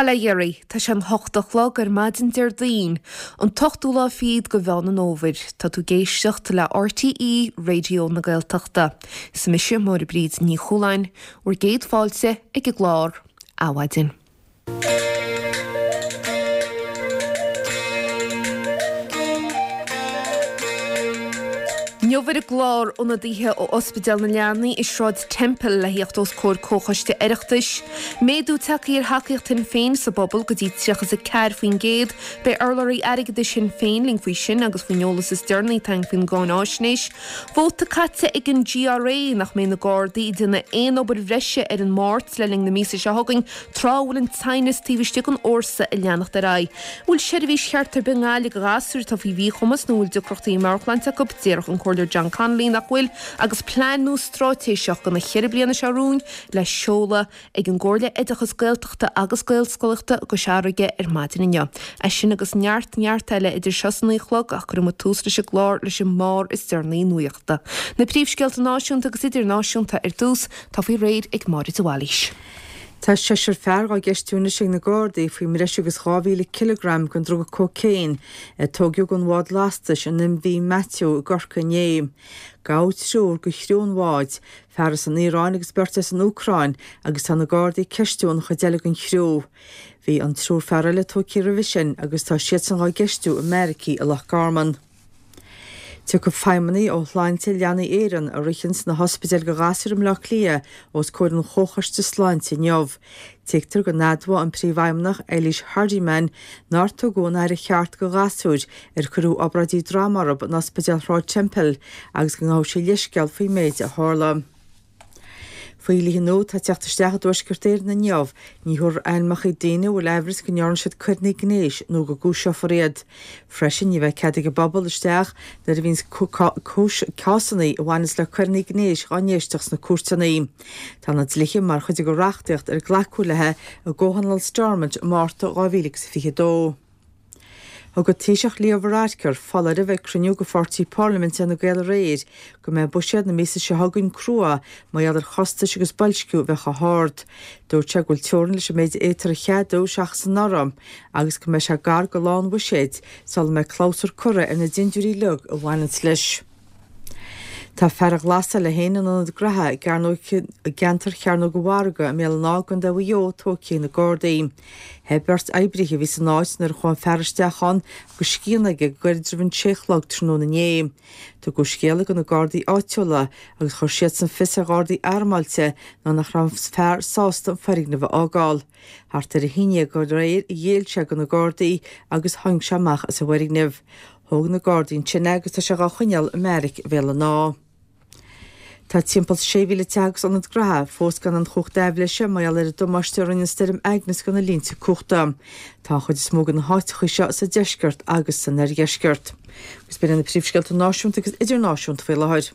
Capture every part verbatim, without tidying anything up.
Bail ó Dhia oraibh, tá sé an hocht a chlog ar maidin Déardaoin, an t-ochtú lá fichead de Mheán an Fhómhair. Tá tú ag éisteacht le RTÉ Raidió na Gaeltachta. Is mise Máire Bríd Ní Chualáin, bhur gcéad fáilte ag an gclár Adhmhaidin. Inniu ar an gclár ionadaithe ó Ospidéal na Leanaí i Sráid Temple le theacht os comhair Comhchoiste Oireachtais. Méadú tagtha ar thacaíocht Shinn Féin sa bpobal go dtí tríocha is a ceathair faoin gcéad. Beidh urlabhraí airgeadais Shinn Féin linn faoi sin agus faoin eolas is deireanaí atá againn faoin gcáináisnéis. Vóta caite ag an GRA nach mbeidh na Gardaí ag déanamh aon obair bhreise ar an Máirt le linn na míosa seo chugainn tráth a bhfuil an teannas taobh istigh den fhórsa ag leanacht ar aghaidh. An bhfuil seirbhís cheart ar bith i nGaillimh do ghasúir atá faoi mhíchumas nó a bhfuil deacrachtaí meabhairshláinte acu? Déarfadh an Comhairleoir John Connolly nach bhfuil agus plean nua straitéiseach do na ceithre bliana seo romhainn le seoladh ag an gComhairle Oideachais Gaeltachta agus Gaelscolaíochta i gCois Fharraige ar maidin inniu. É sin agus neart neart eile idir seo is a naoi a chlog ach cuirfidh muid tús leis an gclár leis an mbarr is deireanaí nuachta. Na príomhscéalta náisiúnta agus idirnáisiúnta ar dtús, tá faoi réir ag Máire de Bhailís. Tá seisear fear dhá gceistiú anois ag na Gardaí faoi mbreis agus dhá mhíle cileagram den druga cócaon a tógadh den bhád lastais an MV Matthew i gCorcaigh inné. Gabhadh triúr de chriú an bháid, fear as an Iaráin agus beirt as an Úcráin, agus tá na Gardaí ag ceistiú an chuid eile den chriú. Bhí an triúr fear eile tógtha roimhe sin agus tá siadsan dhá gceistiú i mbeairicí i Loch Garman. Tiocfaidh feidhmeannaigh ó Shláinte Leanaí Éireann, a ritheann sna hospidéil do ghasúir i mBleá Cliath, os comhair an Chomhchoiste Sláinte inniu. Tuigtear go n-admhóidh an Príomhfheidhmeannach, Eilís Hardiman, nár tugadh an aire cheart do ghasúir ar cuireadh obráidí droma orthu in Ospidéal Shráid Temple agus go ngabhfaidh sí leithscéal faoin méid a tharla. Faoi dhlíthe nua atá ag teacht isteach i dTuaisceart Éireann inniu, ní thabharfar ainmneacha daoine a bhfuil aimhreas go ndearna siad coireanna gnéis nó go gcúiseofar iad. Freisin, ní bheidh cead ag an bpobal isteach nuair a bhíonns cásanna a bhaineanns le coireanna gnéis dhá n-éisteacht sna cúirteanna. Tá na dlíthe mar chuid de reachtaíocht ar glacadh léi i gComhthionól Stormont i Márta dhá mhíle agus a fiche a dó. Thug an Taoiseach Leo Varadkar foláireamh ag cruinniú de pháirtí parlaiminte Fhine Gael aréir go mbeidh buiséad na míosa seo chugainn crua mar gheall ar chostais agus boilsciú a bheith chomh hard. Dúirt sé go bhfuil teorainn leis an méid a fhéadtar a cheadú seachas anuraidh agus go mbeidh sé gar do lá an bhuiséid sula mbeidh clabhsúr curtha ar na dindiúirí uilig a bhaineanns leis. Tá fear a ghlasáil é féin in ionad graithe i gceantar Chearnóg an Mhargaidh i mBéal an Átha i gContae Mhaigh Eo tógtha ag na Gardaí. Theith beirt oibrithe a bhí san áit nuair a chuaigh an fear isteach ann agus scian aige go gairid roimh an sé a chlog tráthnóna inné. Tugadh scéala do na Gardaí áitiúla agus chuir siadsan fios ar Ghardaí armáilte nuair nach raibh an fear sásta an foirgneamh a fhágáil. Thart ar a haon déag aréir ghéill sé do na Gardaí agus tháinig sé amach as an bhfoirgneamh. Thóg na Gardaí ansin é agus tá sé dhá choinneáil i mbeairic Bhéal an Átha. Tá timpeall sé mhíle teach agus ionad graithe fós gan an chumhacht aibhléise mar gheall ar an damáiste a rinne an stoirm Agnes do na línte cumhachta. Tá an chuid is mó de na háiteacha seo sa deisceart agus san oirdheisceart. Agus b'in iad na príomhscéalta náisiúnta agus idirnáisiúnta faoi láthair.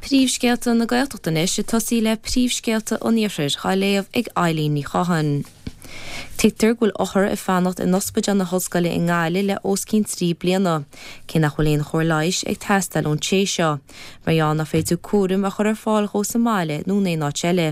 Príomhscéalta na Gaeltachta anois ag tosaí le príomhscéalta an Iarthair dhá léamh ag Eileen Ní Chatháin. Tuigtear go bhfuil othair ag fanacht in Ospidéal na hOllscoile i nGaillimh le os cionn trí bliana, cé nach bhfuil aon chóir leighis ag teastáil ón té seo, mar gheall nach féidir cúram a chur ar fáil dhó sa mbaile nó in aon áit eile.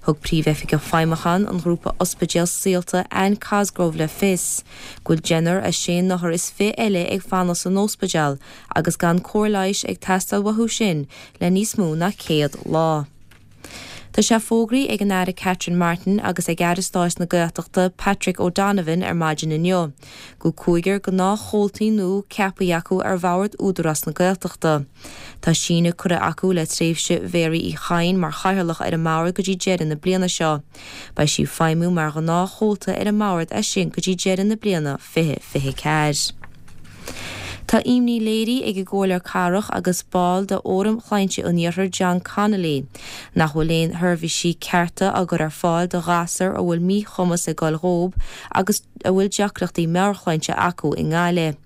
Thug Príomhoifigeach Feidhmiúcháin an ghrúpa Ospidéal Saolta, Anne Cosgrove le fios go bhfuil deichniúr as sé n-othar is fiche eile ag fanacht san ospidéal agus gan cóir leighis ag teastáil uathu sin le níos mó ná céad lá. Tá sé fógraithe ag an Aire Catherine Martin agus ag Aire Stáit na Gaeltachta Patrick O'Donovan ar maidin inniu go bhfuil cúigear gnáthchomhaltaí nua ceaptha acu ar bhord Údarás na Gaeltachta. Tá síneadh curtha acu le tréimhse Mhéaraí Uí Chadhain mar chathaoirleach ar an mbord go dtí deireadh na bliana seo. Beidh sí ag feidhmiú mar ghnáthchomhalta ar an mbord as sin go dtí deireadh na bliana fiche fiche ceathair. Tá imní léirithe ag an gComhairleoir Cathrach agus ball de Fhóram Shláinte an Iarthair John Connolly nach bhfuil aon sheirbhísí cearta á gcur ar fáil do ghasúir a bhfuil míchumas ag dul dhóib agus a bhfuil deacrachtaí meabhairshláinte acu i nGaillimh.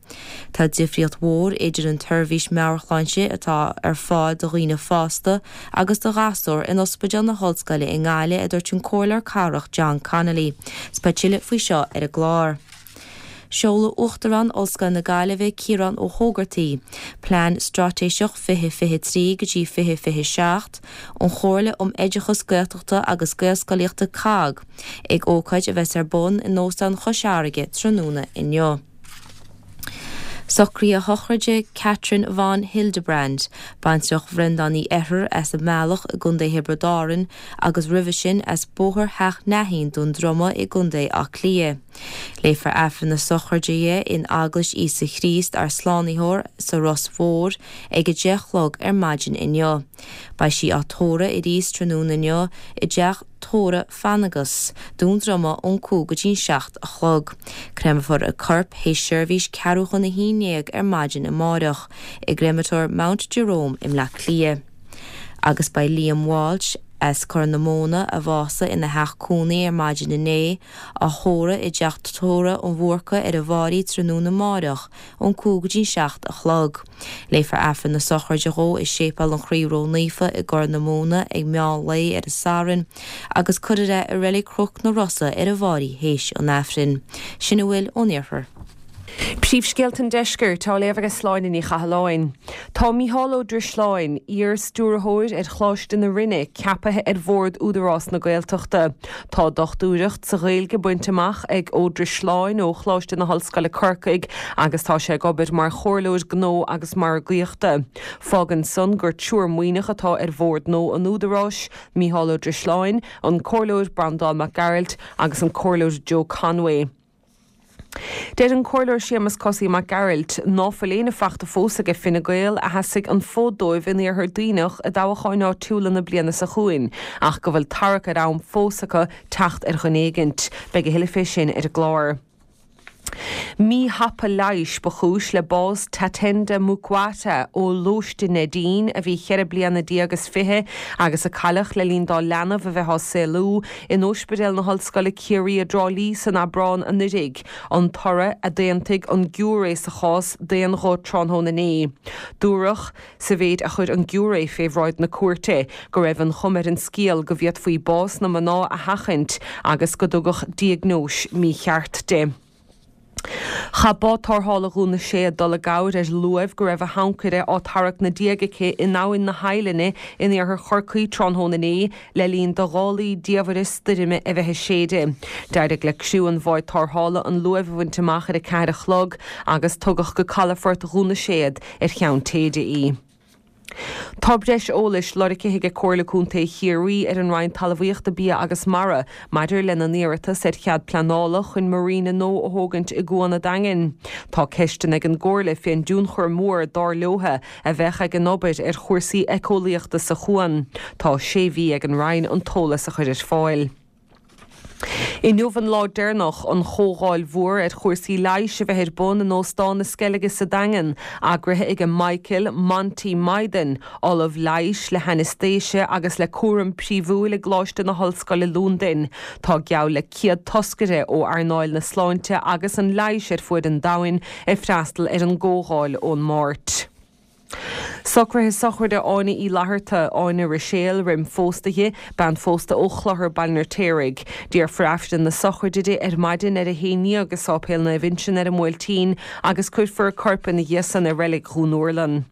Tá difríocht mhór idir an tseirbhís meabhairshláinte atá ar fáil do dhaoine fásta agus do ghasúir in Ospidéal na hOllscoile i nGaillimh, a dúirt an Comhairleoir Cathrach John Connolly. 'S beidh tuilleadh faoi seo ar an gclár. Seolfaidh Uachtarán Ollscoil na Gaillimhe Ciarán Ó hÓgartaigh, Plean Straitéiseach fiche fiche trí go dtí fiche fiche seacht, ón Chomhairle um Oideachas Gaeltachta agus Gaelscolaíochta COGG, ag ócáid a bheas ar bun in Óstán Chois Fharraige tráthnóna inniu. Socruithe sochraide Catherine von Hildebrand, baintreach Bhreandáin Uí Eithir as an mBealach i gContae Thiobraid Árann agus roimhe sin as Bóthar Theach Neathaín, Dún Droma i gContae Átha Cliath. Léifear Aifreann na sochraide di in Eaglais Íosa Chríost ár Slánaitheoir sa Ros Mhór ag a deich a chlog ar maidin inniu. Beidh sí á tórramh arís tráthnóna inniu i dteach tórraimh Fanagas, Dún Droma ón cúig go dtí an seacht a chlog. Créamfar a corp théis seirbhís ceathrú chun a haon déag ar maidin amáireach i gcreamatóir Mount Jerome i mBleá Cliath. Agus beidh Liam Walsh as Corr na Móna a bhásaigh ina theach cónaí ar maidin inné, á thórramh i dteach tórraimh an Bhúrcaigh ar an bhFairche tráthnóna amáireach ón cúig go dtí an seacht a chlog. Léifear Aifreann na sochraide dhó i Séipéal an Chroí Ró-Naofa i gCorr na Móna ag meán lae ar an Satharn agus cuirfear é i Reilig Chnoc na Rosa ar an bhFairche théis an Aifrinn. Sin a bhfuil ón iarthar. Príomhscéalta an Deiscirt á léamh ag Sláine Ní Chathalláin. Tá Mícheál Ó Drisleáin, iar-stiúrthóir ar Choláiste na Rinne, ceaptha ar bhord Údarás na Gaeltachta. Tá dochtúireacht sa Ghaeilge bainte amach ag Ó Drisleáin ó Choláiste na hOllscoile Corcaigh agus tá sé ag obair mar chomhairleoir gnó agus margaíochta. Fágann san gur triúr Muimhneach atá ar bhord nua an Údaráis, Mícheál Ó Drisleáin, an Comhairleoir Breandán Mac Gearailt agus an Comhairleoir Joe Conway. Deir an Comhairleoir Séamus Cosaí Mac Gearailt ná fuil éinne fachta fós aige Fine Gael a sheasfaidh an fód dóibh in iarthar Duibhneach i dtoghcháin áitiúla na bliana seo chugainn, ach go bhfuil tarrac ar am fós acu teacht ar dhuine éigint. Beidh a thuilleadh fé sin ar an gclár. Míthapa leighis ba chúis le bás Tatenda Mukwata ó Lóiste Neidín a bhí ceithre bliana déag is fiche agus a cailleadh le linn dá leanbh a bheith á saolú in Ospidéal na hOllscoile Ciarraí i dTrá Lí san Aibreán anuraidh, an toradh a d'aontaigh an giúiré sa chás d'aon ghuth tráthnóna inné. Dúradh sa mhéid a chuir an giúiré fé bhráid na cúirte go raibh an chuma ar an scéal go bhféadfaí bás na mná a sheachaint agus go dtugadh diagnóis mícheart di. Chaith bád tarrthála Dhún na Séad dul i gcabhair ar luamh go raibh a hancaire á tarrac 'na diaidh aici in Abhainn na hEidhlinne in iarthar Chorcaí tráthnóna inné le linn do ghálaí diamhaire stoirme a bheith ag séideadh. D'éirigh le criú an bháid tarrthála an luamh a bhaint amach ar a ceathair a chlog agus tugadh go calafort Dhún na Séad ar cheann téide í. Tá breis eolais lorgtha ag Comhairle Contae Chiarraí ar an Roinn Talmhaíochta Bia agus Mara maidir lena n-iarratas ar chead pleanála chun marina nua a thógaint i gCuan an Daingin. Tá ceisteanna ag an gComhairle fén dtionchar mór dar leotha a bheadh ag an obair ar chúrsaí éiceolaíochta sa chuan. Tá sé mhí ag an Roinn an t-eolas a chur ar fáil. Inniu an lá deireanach an chomhdháil mhór ar chúrsaí leighis a bheith ar bun in Óstán na Sceilge sa Daingean, eagraithe ag Michael Monty Mythen, ollamh leighis le hainaistéise agus le cúram príomhúil i gColáiste na hOllscoile Londain. Tá geall le céad toscaire ó earnáil na sláinte agus an leighis ar fuaid an domhain ag freastal ar an gcomhdháil ón Máirt. Socruithe sochraide Áine Uí Fhlatharta, Áine Ruiséal, roim phósta di, bean phósta ó Chlochar, Baile an Fheirtéaraigh. Déarfar Aifreann na sochraide di ar maidin ar a haon déag i Sáipéal Naomh Uinseann ar an mBuailtín agus cuirfear a corp ina dhiaidh san i Reilig Dhún Úrlann.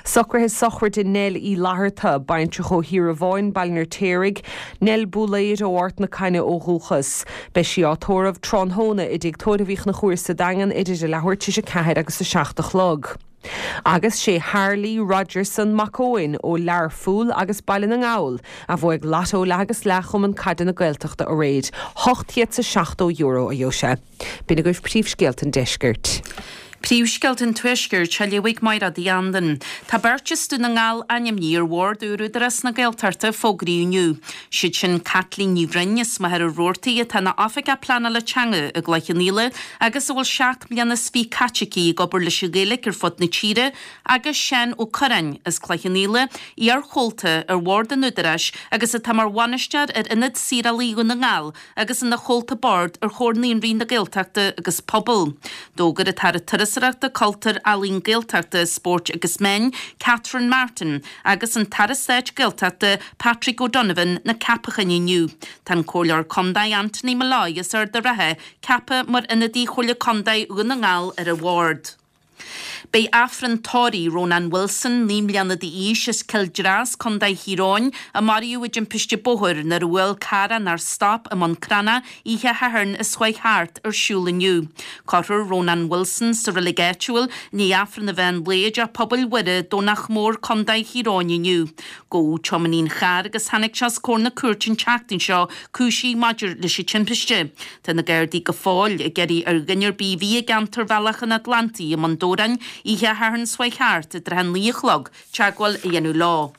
Socruithe sochraide Nell Uí Fhlatharta, baintreach ó Thír Bhaile an Fheirtéaraigh, Nell Búlaeir ó Ard na Cainne ó dhúchas. Beidh sí á tórramh tráthnóna i dtigh tórraimh Uí Chonchúir sa Daingean idir a leathuair tar éis a ceathair agus a seacht a chlog. Agus sé Harley Rogerson Mac Eoin ó Learpholl agus Baile na nGall a bhuaigh Lotto leath agus leath Chumann Caide na Gaeltachta aréir, ocht chéad is seachtó euro a gheobhaidh sé. B'in agaibh príomhscéalta an deiscirt. Príomhscéalta an Tuaiscirt á léamh ag Máire Uí Andain. Tá beirt as Dún na nGall ainmnithe ar bhord úr Údarás na Gaeltachta fógraíodh inniu. Siad sin Caitlín Ní Bhroin as Machaire Rabhartaigh atá ina oifigeach pleanála teanga i gCloich Cheann Fhaola agus a bhfuil seacht mbliana is fiche caite aici ag obair leis an Ghaeilge ar fud na tíre agus Seán Ó Cuirreáin as Cloich Cheann Fhaola, iarchomhalta ar bhord an Údaráis agus atá mar bhainisteoir ar Ionad Saorálaí Dhún na nGall agus ina chomhalta boird ar Chomhar Naíonraí na Gaeltachta agus Pobal. D'fhógair an tAire Turasóireachta, Cultúir, Ealaíon, Gaeltachta, Spóirt agus Meán, Catherine Martin, agus an tAire Stáit Gaeltachta, Patrick O'Donovan, na ceapacháin inniu. Tá an Comhairleoir Contae Anthony Molloy as Ard an Rátha ceaptha mar ionadaí Chomhairle Contae Dhún na nGall ar an bhord. Beidh Aifreann tórraimh Ronan Wilson, naoi mbliana d'aois as Cill Dreas, Contae Thír Eoghain, a maraíodh i dtimpiste bóthair nuair a bhuail carr é nár stop i mBun Cranncha oíche Shathairn is chuaigh thart ar siúl inniu. Cuirfear Ronan Wilson sa reilig áitiúil i ndiaidh Aifreann an mheán lae i dTeach Pobail Mhuire, Domhnach Mór, Contae Thír Eoghain inniu. Gabhadh tiománaí an chairr agus tháinig sé os comhair na cúirte an tseachtain seo cúisithe maidir leis an timpiste. Tá na Gardaí go fóill ag iarraidh ar dhuine ar bith a bhí i gceantar Bhealach an Atlantaigh i mBun Dobhráin oíche Shathairn seo chuaigh thart i dtrátha a naoi a chlog teagmháil a dhéanamh leo.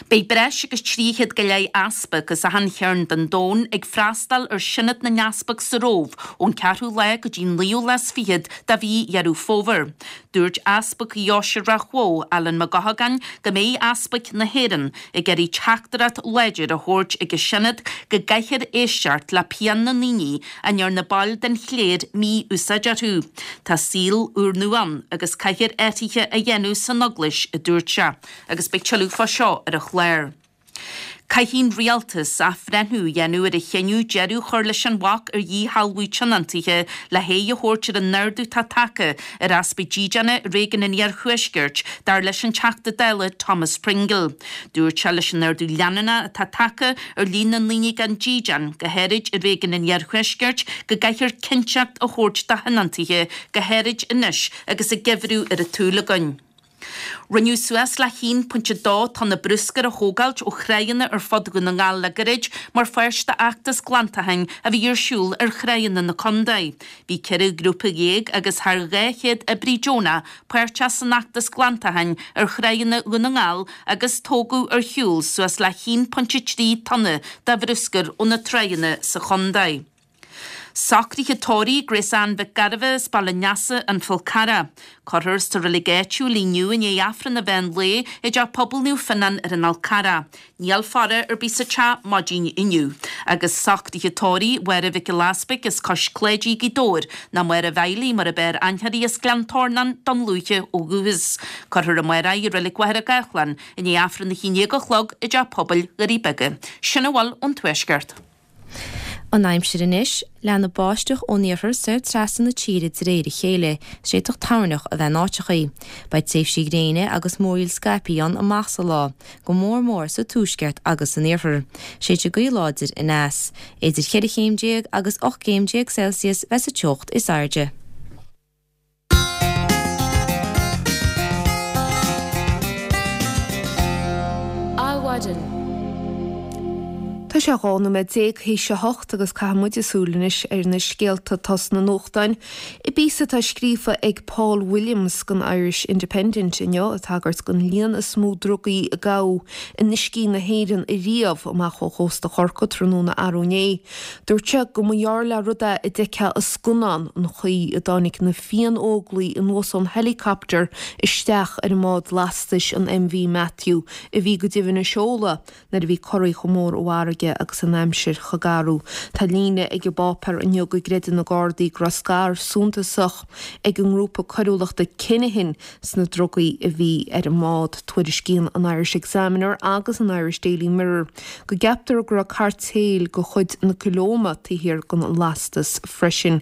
Beidh breis agus trí chéad go leith easpag as achan chearn den domhan ag freastal ar Sionad na nEaspag sa Róimh ón ceathrú lá go dtí an naoú lá is fichead de mhí Dheireadh Fómhair. Dúirt Easpag Dheoise Ráth Bhoth, Alan Mac Eochagáin, go mbeidh easpaig na hÉireann ag iarraidh teachtaireacht láidir a thabhairt ag an Sionad go gcaithfear éisteacht le pian na ndaoine a ndearna baill den chléir mí-úsáid orthu. Tá saol úrnua ann agus caithfear athruithe a dhéanamh san Eaglais, a dúirt sé, agus beidh tuilleadh fá seo ar an chlár. Caithfidh an rialtas athbhreithniú a dhéanamh ar a chinneadh deireadh a chur leis an bhac ar dhíshealbhú tionóntaithe le haghaidh a thabhairt ar an ardú atá tagtha ar easpa dídeana i réigiún an Iarthuaiscirt, dar leis an Teachta Dála Thomas Pringle. Dúirt sé leis an ardú leanúnach atá tagtha ar líon na ndaoine gan dídean, go háirid i réigiún an Iarthuaiscirt, go gcaithfear cinnteacht a thabhairt do thionóntaithe, go háirid anois agus an geimhreadh ar an tsúil againn. Rinneadh suas le haon pointe dó tonna bruscair a thógáilt ó thráigheanna ar fud Dhún na nGall le gairid mar pháirt d'fheachtas glantacháin a bhí ar siúl ar thráigheanna na contae. Bhí ceithre ghrúpa dhéag agus thar dhá chéad oibrí deonach páirteach san fheachtas glantacháin ar thráigheanna Dhún na nGall agus tógadh ar shiúl suas le haon pointe trí tonna de bhruscar ó na tráigheanna sa chontae. Socruithe tórraimh Grace Ann Mhic Gairbheith as Baile an Easa, An Fál Carrach. Cuirfear sa reilig áitiúil í inniu i ndiaidh Aifreann an mheán lae i dTeach Pobail Naomh Fionnán ar an Fhál Carrach. Níl faire ar bith sa teach maidin inniu. Agus socruithe tórraimh Mháire Mhic Giolla Easpaig as Cois Cláidí, Gaoth Dobhair, nó Máire Mhiley mar ab fhearr aithne uirthi as Gleann Tornáin, Dún Lúiche ó dhúchas. Cuirfear amárach í i Reilig Mhachaire Gathlán i ndiaidh Aifreann a haon déag a chlog i dTeach Pobail Dhoirí Beaga. Sin a bhfuil ón Tuaisceart. An aimsir anois, leanfaidh báisteach ón iarthar soir trasna na tíre de réir a chéile, is d'fhéadfadh toirneach a bheith in áiteachaí. Beidh tréimhsí gréine agus múraíl scaipthe ann amach sa lá, go mór mór sa tuaisceart agus san iarthar. Séidfidh gaoth láidir aneas. Idir cheithre chéim déag agus ocht gcéim déag Celsius bheas an teocht is airde. Adhmhaidin. Tá sé dhá nóiméad déag théis a hocht agus caithfidh muid súil anois ar na scéalta atá sna nuachtáin. I bpíosa atá scríofa ag Paul Williams don Irish Independent inniu ag tagairt don líon is mó drugaí a gabhadh in uiscí na hÉireann ariamh amach ó chósta Chorcaí tráthnóna arú inné. Dúirt sé go mba ghearr le rud é a d'fheicfeá i scannán an chaoi a dtáinig na Fiann-Óglaigh anuas ón helicopter isteach ar an mbád lastais an MV Matthew a bhí go doimhin i seoladh nuair a bhí corraí chomh mór i bhfarraige agus an aimsir chomh garbh. Tá líne ag an bpáipéar inniu go gcreideann na Gardaí go raibh scair suntasach ag an ngrúpa coiriúlachta Kinahan sna drugaí a bhí ar an mbád. Tuairiscíonn an Irish Examiner agus an Irish Daily Mirror go gceaptar go raibh cairtéil de chuid na Colóime taobh thiar den lastas freisin.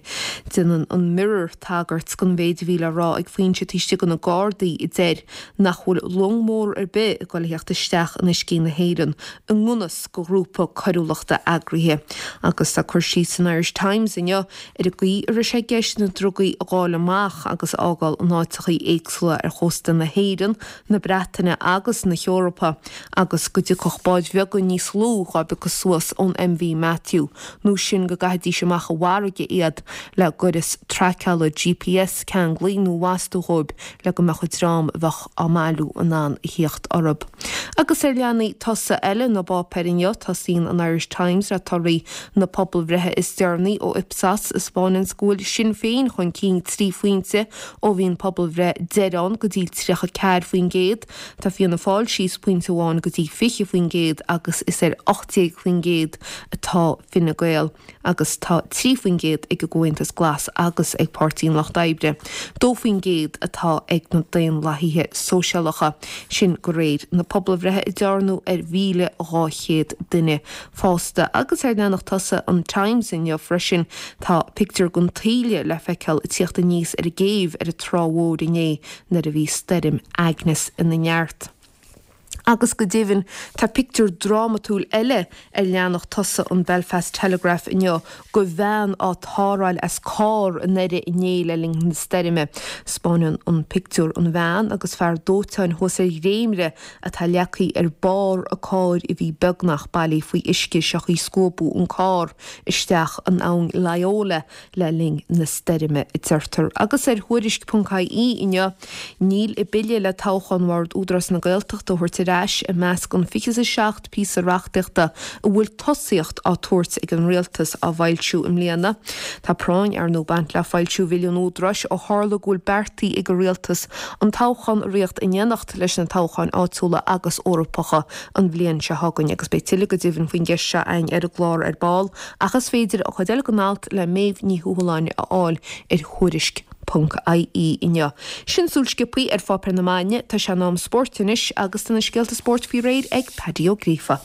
Déanann an Mirror tagairt don mhéid a bhí le rá ag foinse taobh istigh de na Gardaí a deir nach bhfuil long mór ar bith ag dul a theacht isteach in uiscí na hÉireann i ngan fhios do ghrúpa coiriúlachta eagraithe. Agus tá cur síos san Irish Times inniu ar an gcaoi a raibh sé i gceist na drugaí a fháil amach agus a fhágáil in áiteachaí éagsúla ar chósta na hÉireann, na Breataine agus na hEorpa agus go dtiocfadh báid bheaga níos lú dhá bpiocadh suas ón MV Matthew nó sin go gcaithfidís amach i bhfarraige iad le gaireas traiceála GPS ceanglaithe nó lasta dhóibh le go mbeadh an dream a bheadh á mbailiú in ann a theacht orthu. Agus ar leathanaigh tosaigh eile na bpáipéar inniu tosaíonn Tosaíonn an Irish Times le torthaí na pobalbhreithe is deireanaí ó Ipsos a spáineann go bhfuil Sinn Féin chun cinn trí phointe ó bhí an pobalbhreith deiridh ann go dtí tríocha ceathair faoin gcéad. Tá Fianna Fáil síos pointe amháin go dtí fiche faoin gcéad agus is ar ocht déag faoin gcéad atá Fine Gael agus tá trí faoin gcéad ag an gComhaontas Glas agus ag Páirtí an Lucht Oibre. Dó faoin gcéad atá ag na Daonlathaithe Sóisialacha. Sin de réir na pobalbhreithe a dearnadh ar mhíle dhá chéad duine fásta. Agus ar leathanach tosaigh an Times inniu freisin tá pictiúr den taoille le feiceáil ag tíocht aníos ar an gcéibh ar an Trá Mhór inné nuair a bhí stoirm Agnes ina neart. Agus go deimhin, tá pictiúr drámatúil eile ar leathanach tosaigh an Belfast Telegraph inniu de bhean á tarrtháil as carr i nDoire inné le linn na stoirme. Spáineann an pictiúr an bhean agus fear dóiteáin thuas ar dhréimire atá leagtha ar barr a cairr a bhí beagnach bailí faoi uisce seachas scuabadh an carr isteach in abhainn Loyola le linn na stoirme, a deirtear. Agus ar Thuairisc ponc ie inniu, níl an bille le toghchán Bhord Údarás na Gaeltachta a thabhairt ar ais i measc an fiche is a seacht píosa reachtaíochta a bhfuil tosaíocht á tabhairt ag an Rialtas á bhfoilsiú i mbliana. Tá práinn, ar ndóigh, ag baint le foilsiú Bhille an Údaráis ó tharla go bhfuil beartaithe ag an Rialtas an toghchán a ritheacht in éineacht leis na toghcháin áitiúla agus Eorpacha an bhliain seo chugainn agus beidh tuilleadh go deimhin faoin gceist seo againn ar an gclár ar ball ach is féidir an chuid eile den alt le Méabh Ní Thuathaláin a fháil ar Thuairisc. ponc ie inniu. Sin súil sciobtha ar pháipéir na maidine, tá sé in am spóirt anois agus tá na scéalta spóirt faoi réir ag Paddy Ó Gríofa.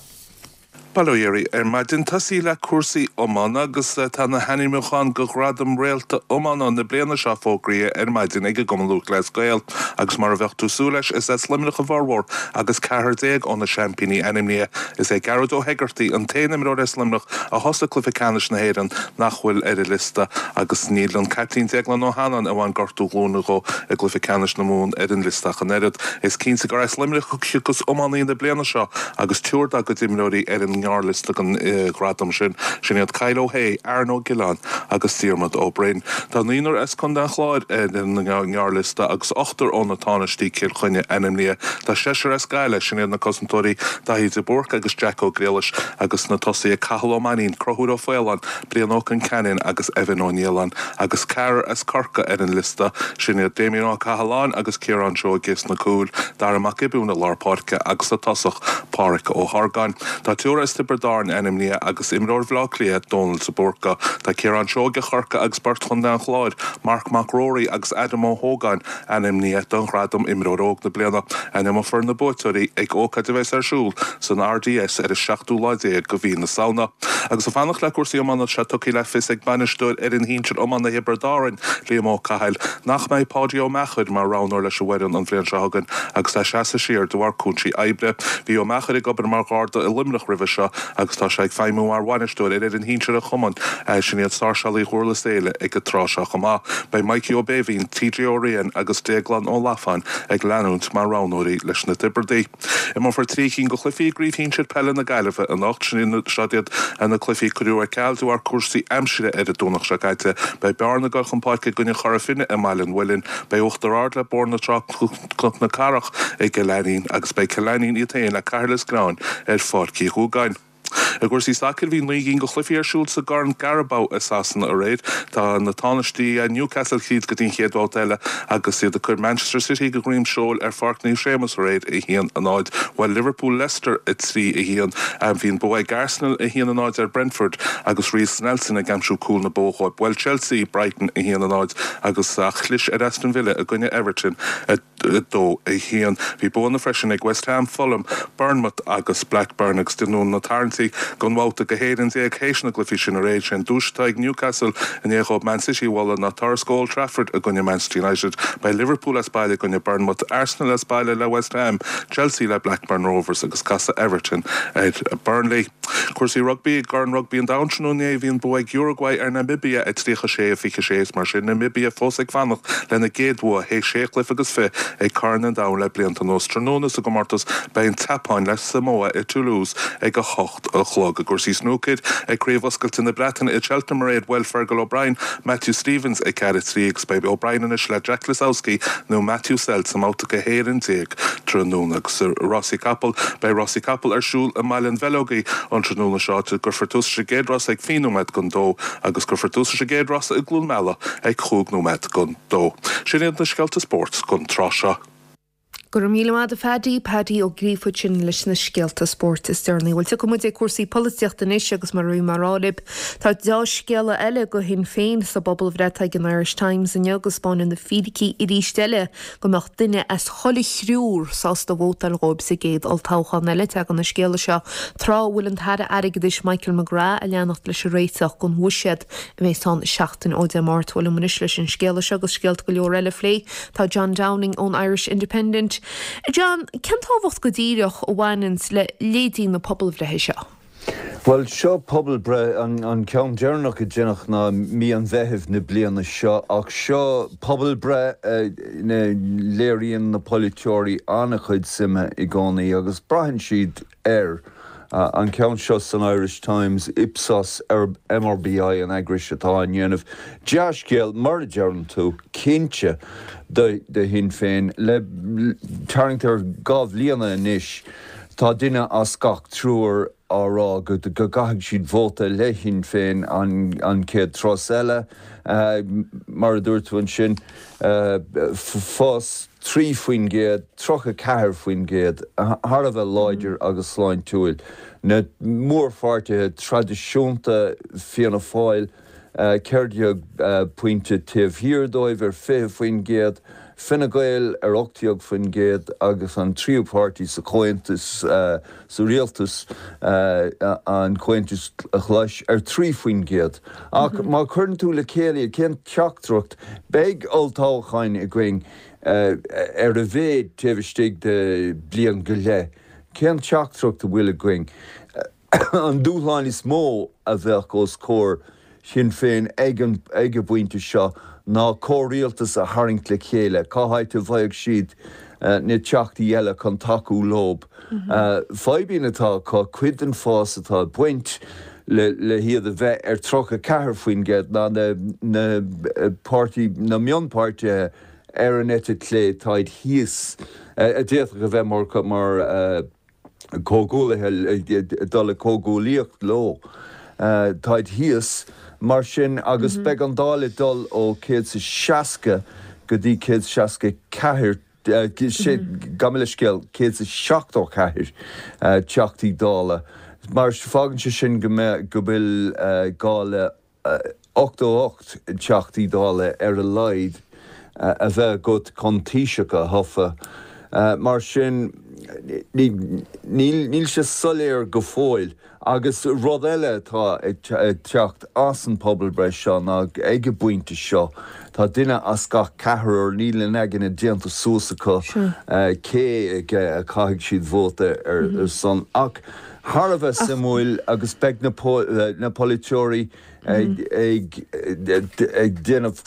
Bail ó Dhia oraibh ar maidin. Tosaí le cúrsaí iomána agus tá na hainmniúcháin do Ghradam Réalta Iomána na bliana seo fógraithe ar maidin ag an gCumann Lúthchleas Gael agus mar a bheadh tú súil leis is as Luimneach a bhformhór agus ceathrar déag ó na seaimpíní ainmnithe. Is é Gearóid Ó hEigeartaigh an t-aon imreoir as Luimneach a thosaigh cluiche ceannais na hÉireann nach bhfuil ar an liosta agus níl an caiptín Déaglán Ó hAnnáin a bhain gortú glúine dhó i gcluiche ceannais na Mumhan ar an liosta ach an oiread. Is cinnte gur as Luimneach a thiocfas iománaí na bliana seo agus triúr dá gcuid imreoirí ar an ngearrliosta don ghradam sin. Sin iad Kyle Ó hAodha, Aaron Ó Giolláin agus Diarmuid Ó Broin. Tá naonúr as Contae an Chláir ar an ngearrliosta agus ochtar ó na Tánaistí Cill Chainnigh ainmnithe. Tá seisear as Gaillimh, sin iad na cosantóirí Daithí de Búrca agus Jack Ó Griallais agus na tosaithe Cathal Ó Mainnín, Conchúr Ó Faoláin, Brian Ó Concheanainn agus Evan Ó Nialláin agus ceathrar as Corcaigh ar an liosta, sin iad Damien Ó Cathaláin agus Ciarán Seoige sna cúil, Dara Mac Giobúin i lár páirce agus sa tosach Páraic Ó hArgáin. Tá triúr as Tiobraid Árann ainmnithe agus imreoir Bhaile Átha Cliath, Dónal de Búrca. Tá Ciarán Seoige Chorcaí agus beirt Chontae an Chláir, Marc Mac Ruairí agus Adam Ó hÓgáin ainmnithe don ghradam Imreoir Óg na Bliana. Ainmneofar na buaiteoirí ag ócáid a bheas ar siúl san RDS ar an seachtú lá déag de mhí na Samhna. Agus ag fanacht le cúrsaí iomána tá sé tugtha le fios ag bainisteoir fhoireann shinsir iomána Thiobraid Árann, Liam Ó Cathail, nach mbeidh Páidí Ó Meachair mar roghnóir leis an bhfoireann an bhliain seo chugainn agus é ag seasamh siar de bharr cúinsí oibre. Bhí Ó Meachair ag obair mar gharda i Luimneach roimhe seo agus tá sé ag feidhmiú mar bhainisteoir ar fhoireann shinsir an chumainn, sin iad Sáirséalaigh Dhurlas Éile ag an tráth seo chomh maith. Beidh Mikey Ó Béibhinn, TJ Ó Riain agus Déaglán Ó Lafáin ag leanúint mar roghnóirí leis na Tiobradaigh. Imreofar trí cinn de chluichí i gCraobh Shinsir Peile na Gaillimhe anocht. Seo iad na cluichí a cuireadh ar ceal de bharr cúrsaí aimsire ar an Domhnach seo caite. Beidh Bearna ag dul chun páirce i gcoinne Chora Finne i mBaile an Mhuilinn, beidh Uachtar Ard le Bóthar na Trá Cnoc na Cathrach i gCill Ainnín agus beidh Cill Ainnín iad féin le Cathair Lios Gnáin ar Pháirc Uí Dhúgáin. I gcúrsaí sacair, bhí naoi gcinn de chluichí ar siúl sa gCorn Carabao i Sasana aréir. Tá na tánaistí Newcastle tríd go dtí an chéad bhabhta eile agus iad ag cur Manchester City go dhroim seoil ar Pháirc Naomh Séamus aréir, a haon a náid. Bhuail Liverpool Leicester a trí a haon. Bhí an bua ag Arsenal a haon a náid ar Brentford agus Reiss Nelson ag aimsiú cúl na bó dhóibh. Bhuail Chelsea Brighton a haon a náid agus chlis ar Aston Villa i gcoinne Everton a dó a haon. Bhí buanna freisin ag West Ham, Fulham, Bournemouth agus Blackburn agus déanadh na tarraingtí don bhabhta go hÉirinn déag théis na gcluichí sin aréir. Sé an duais atá ag Newcastle i ndiaidh dhóibh Man City a bhualadh ná turas go Old Trafford i gcoinne Manchester United. Beidh Liverpool as baile i gcoinne Bournemouth, Arsenal as baile le West Ham, Chelsea le Blackburn Rovers agus casfaidh Everton ar Burnley. Cúrsaí rugbaí, I gCorn Rugbaí an Domhain tráthnóna inné bhí an bua ag Uruguay ar Namibia a tríocha sé a fiche sé is mar sin Namibia fós ag fanacht lena gcéad bhua théis sé chluiche agus fiche ag Corn an Domhain le blianta anuas. Tráthnóna sa gcomórtas beidh an tSeapáin le Samoa i Toulouse ag a hocht a chlog. I gcúrsaí snúcair ag Craobh Oscailte na Breataine i Cheltenham aréir bhuail Fergal O'Brien Matthew Stevens a ceathair a trí agus beidh O'Brien anois le Jack Lisowski nó Matthew Selt sa mbabhta a haon déag tráthnóna. Agus rásaí capall beidh rásaí capall ar siúl i mBaile an Bheileogaigh an tráthnóna seo cuirfear tús leis an gcéad rás ag fiche nóiméad don dó agus cuirfear tús leis an gcéad rás i gCluain Meala ag cúig nóiméad don dó. Sin iad na scéalta spóirt don tráth seo. Go raibh míle maith agat a Phaddy, Paddy Ó Gríofa ansin leis na scéalta spóirt is deireanaí. Bhuel tiocfaidh muid ag cúrsaí polaitíochta anois agus mar a bhí mé ag rá libh. Tá dea-scéala eile do Shinn Féin sa bpobalbhreith ag an Irish Times inniu agus 'spáineann na fíricí arís eile go mbeadh duine as chuile thriúr sásta vótáil dhóibh sa gcéad olltoghchán eile. Tagann an scéala seo tráth a bhfuil an tAire Airgeadais Michael McGrath ag leanacht leis an réiteach don bhuiséad a bheas ann seachtain ó Dé Máirt. Bhuel liom anois leis an scéala seo agus scéalta go leor eile a phlé. Tá John Downing ón Irish Independent. John, cén tábhacht go díreach a bhaineanns le leithéidí na pobalbhreithe seo? Bhuel, seo pobalbhreith, an ceann deireanach a deineadh ná mí an Mheithimh na bliana seo, ach seo pobalbhreith ina léiríonn na polaiteoirí an-chuid suime i gcónaí agus braitheann siad air. An ceann seo san Irish Times, Ipsos M R B I an eagrais atá á ndéanamh. Dea-scéal, mar a deireann tú, cinnte do Shinn Féin. Le tarraingt ar dhá bhliana anois, tá duine as gach triúr á rá go gcaithfidh siad vóta le Sinn Féin an chéad turas eile. Mar a dúirt tú ansin, fás trí faoin gcéad, tríocha ceathair faoin gcéad, thar a bheith láidir agus sláintiúil. Na mórpháirtithe traidisiúnta, Fianna Fáil ceithre déag pointe taobh thiar dóibh ar fiche faoin gcéad, Fine Gael ar ocht déag faoin gcéad agus an tríú páirtí sa chomhaontas sa rialtas, an Comhaontas Glas, ar trí faoin gcéad. Ach má chuireann tú le chéile, cén teachtaireacht? Beidh olltoghcháin againn ar a mhéad taobh istigh de bliain go leith. Cén teachtaireacht a bhfuil againn? An dúshlán is mó a bheadh os comhair Shinn Féin ag an ag an bpointe seo ná comhrialtas a tharraingt le chéile. Cá háit a bhfaigheadh siad na teachtaí eile chun tacú leo? Fadhbanna atá acu, cuid den fás atá ag baint le le hiad a bheith ar tríocha ceathair faoin gcéad ná na na páirtí na mionpháirtithe ar an eite chlé, táid thíos, a d'fhéadfadh a bheith mar mar comhghuaillithe, dul i comhghuaillíocht leo, táid thíos mar sin agus beidh an Dáil ag dul ó céad is a seasca go dtí céad is seasca ceathair, gabh mo leithscéal, céad is a seachtó ceathair Teachtaí Dála. Mar fágann sé sin go mbeidh, go bhfuil gá le ochtó ocht Teachtaí Dála ar a laghad a bheith agat chun Taoiseach a thofa. Mar sin, níl sé soiléir go fóill. Agus rud eile atá ag teacht as an pobalbhreith seo ná ag an bpointe seo, tá duine as gach ceathrar, níl a n-aigne déanta suas acu cé aige a chaithfidh siad vóta ar son. Ach thar a bheith suimiúil agus beidh na polaiteoirí ag déanamh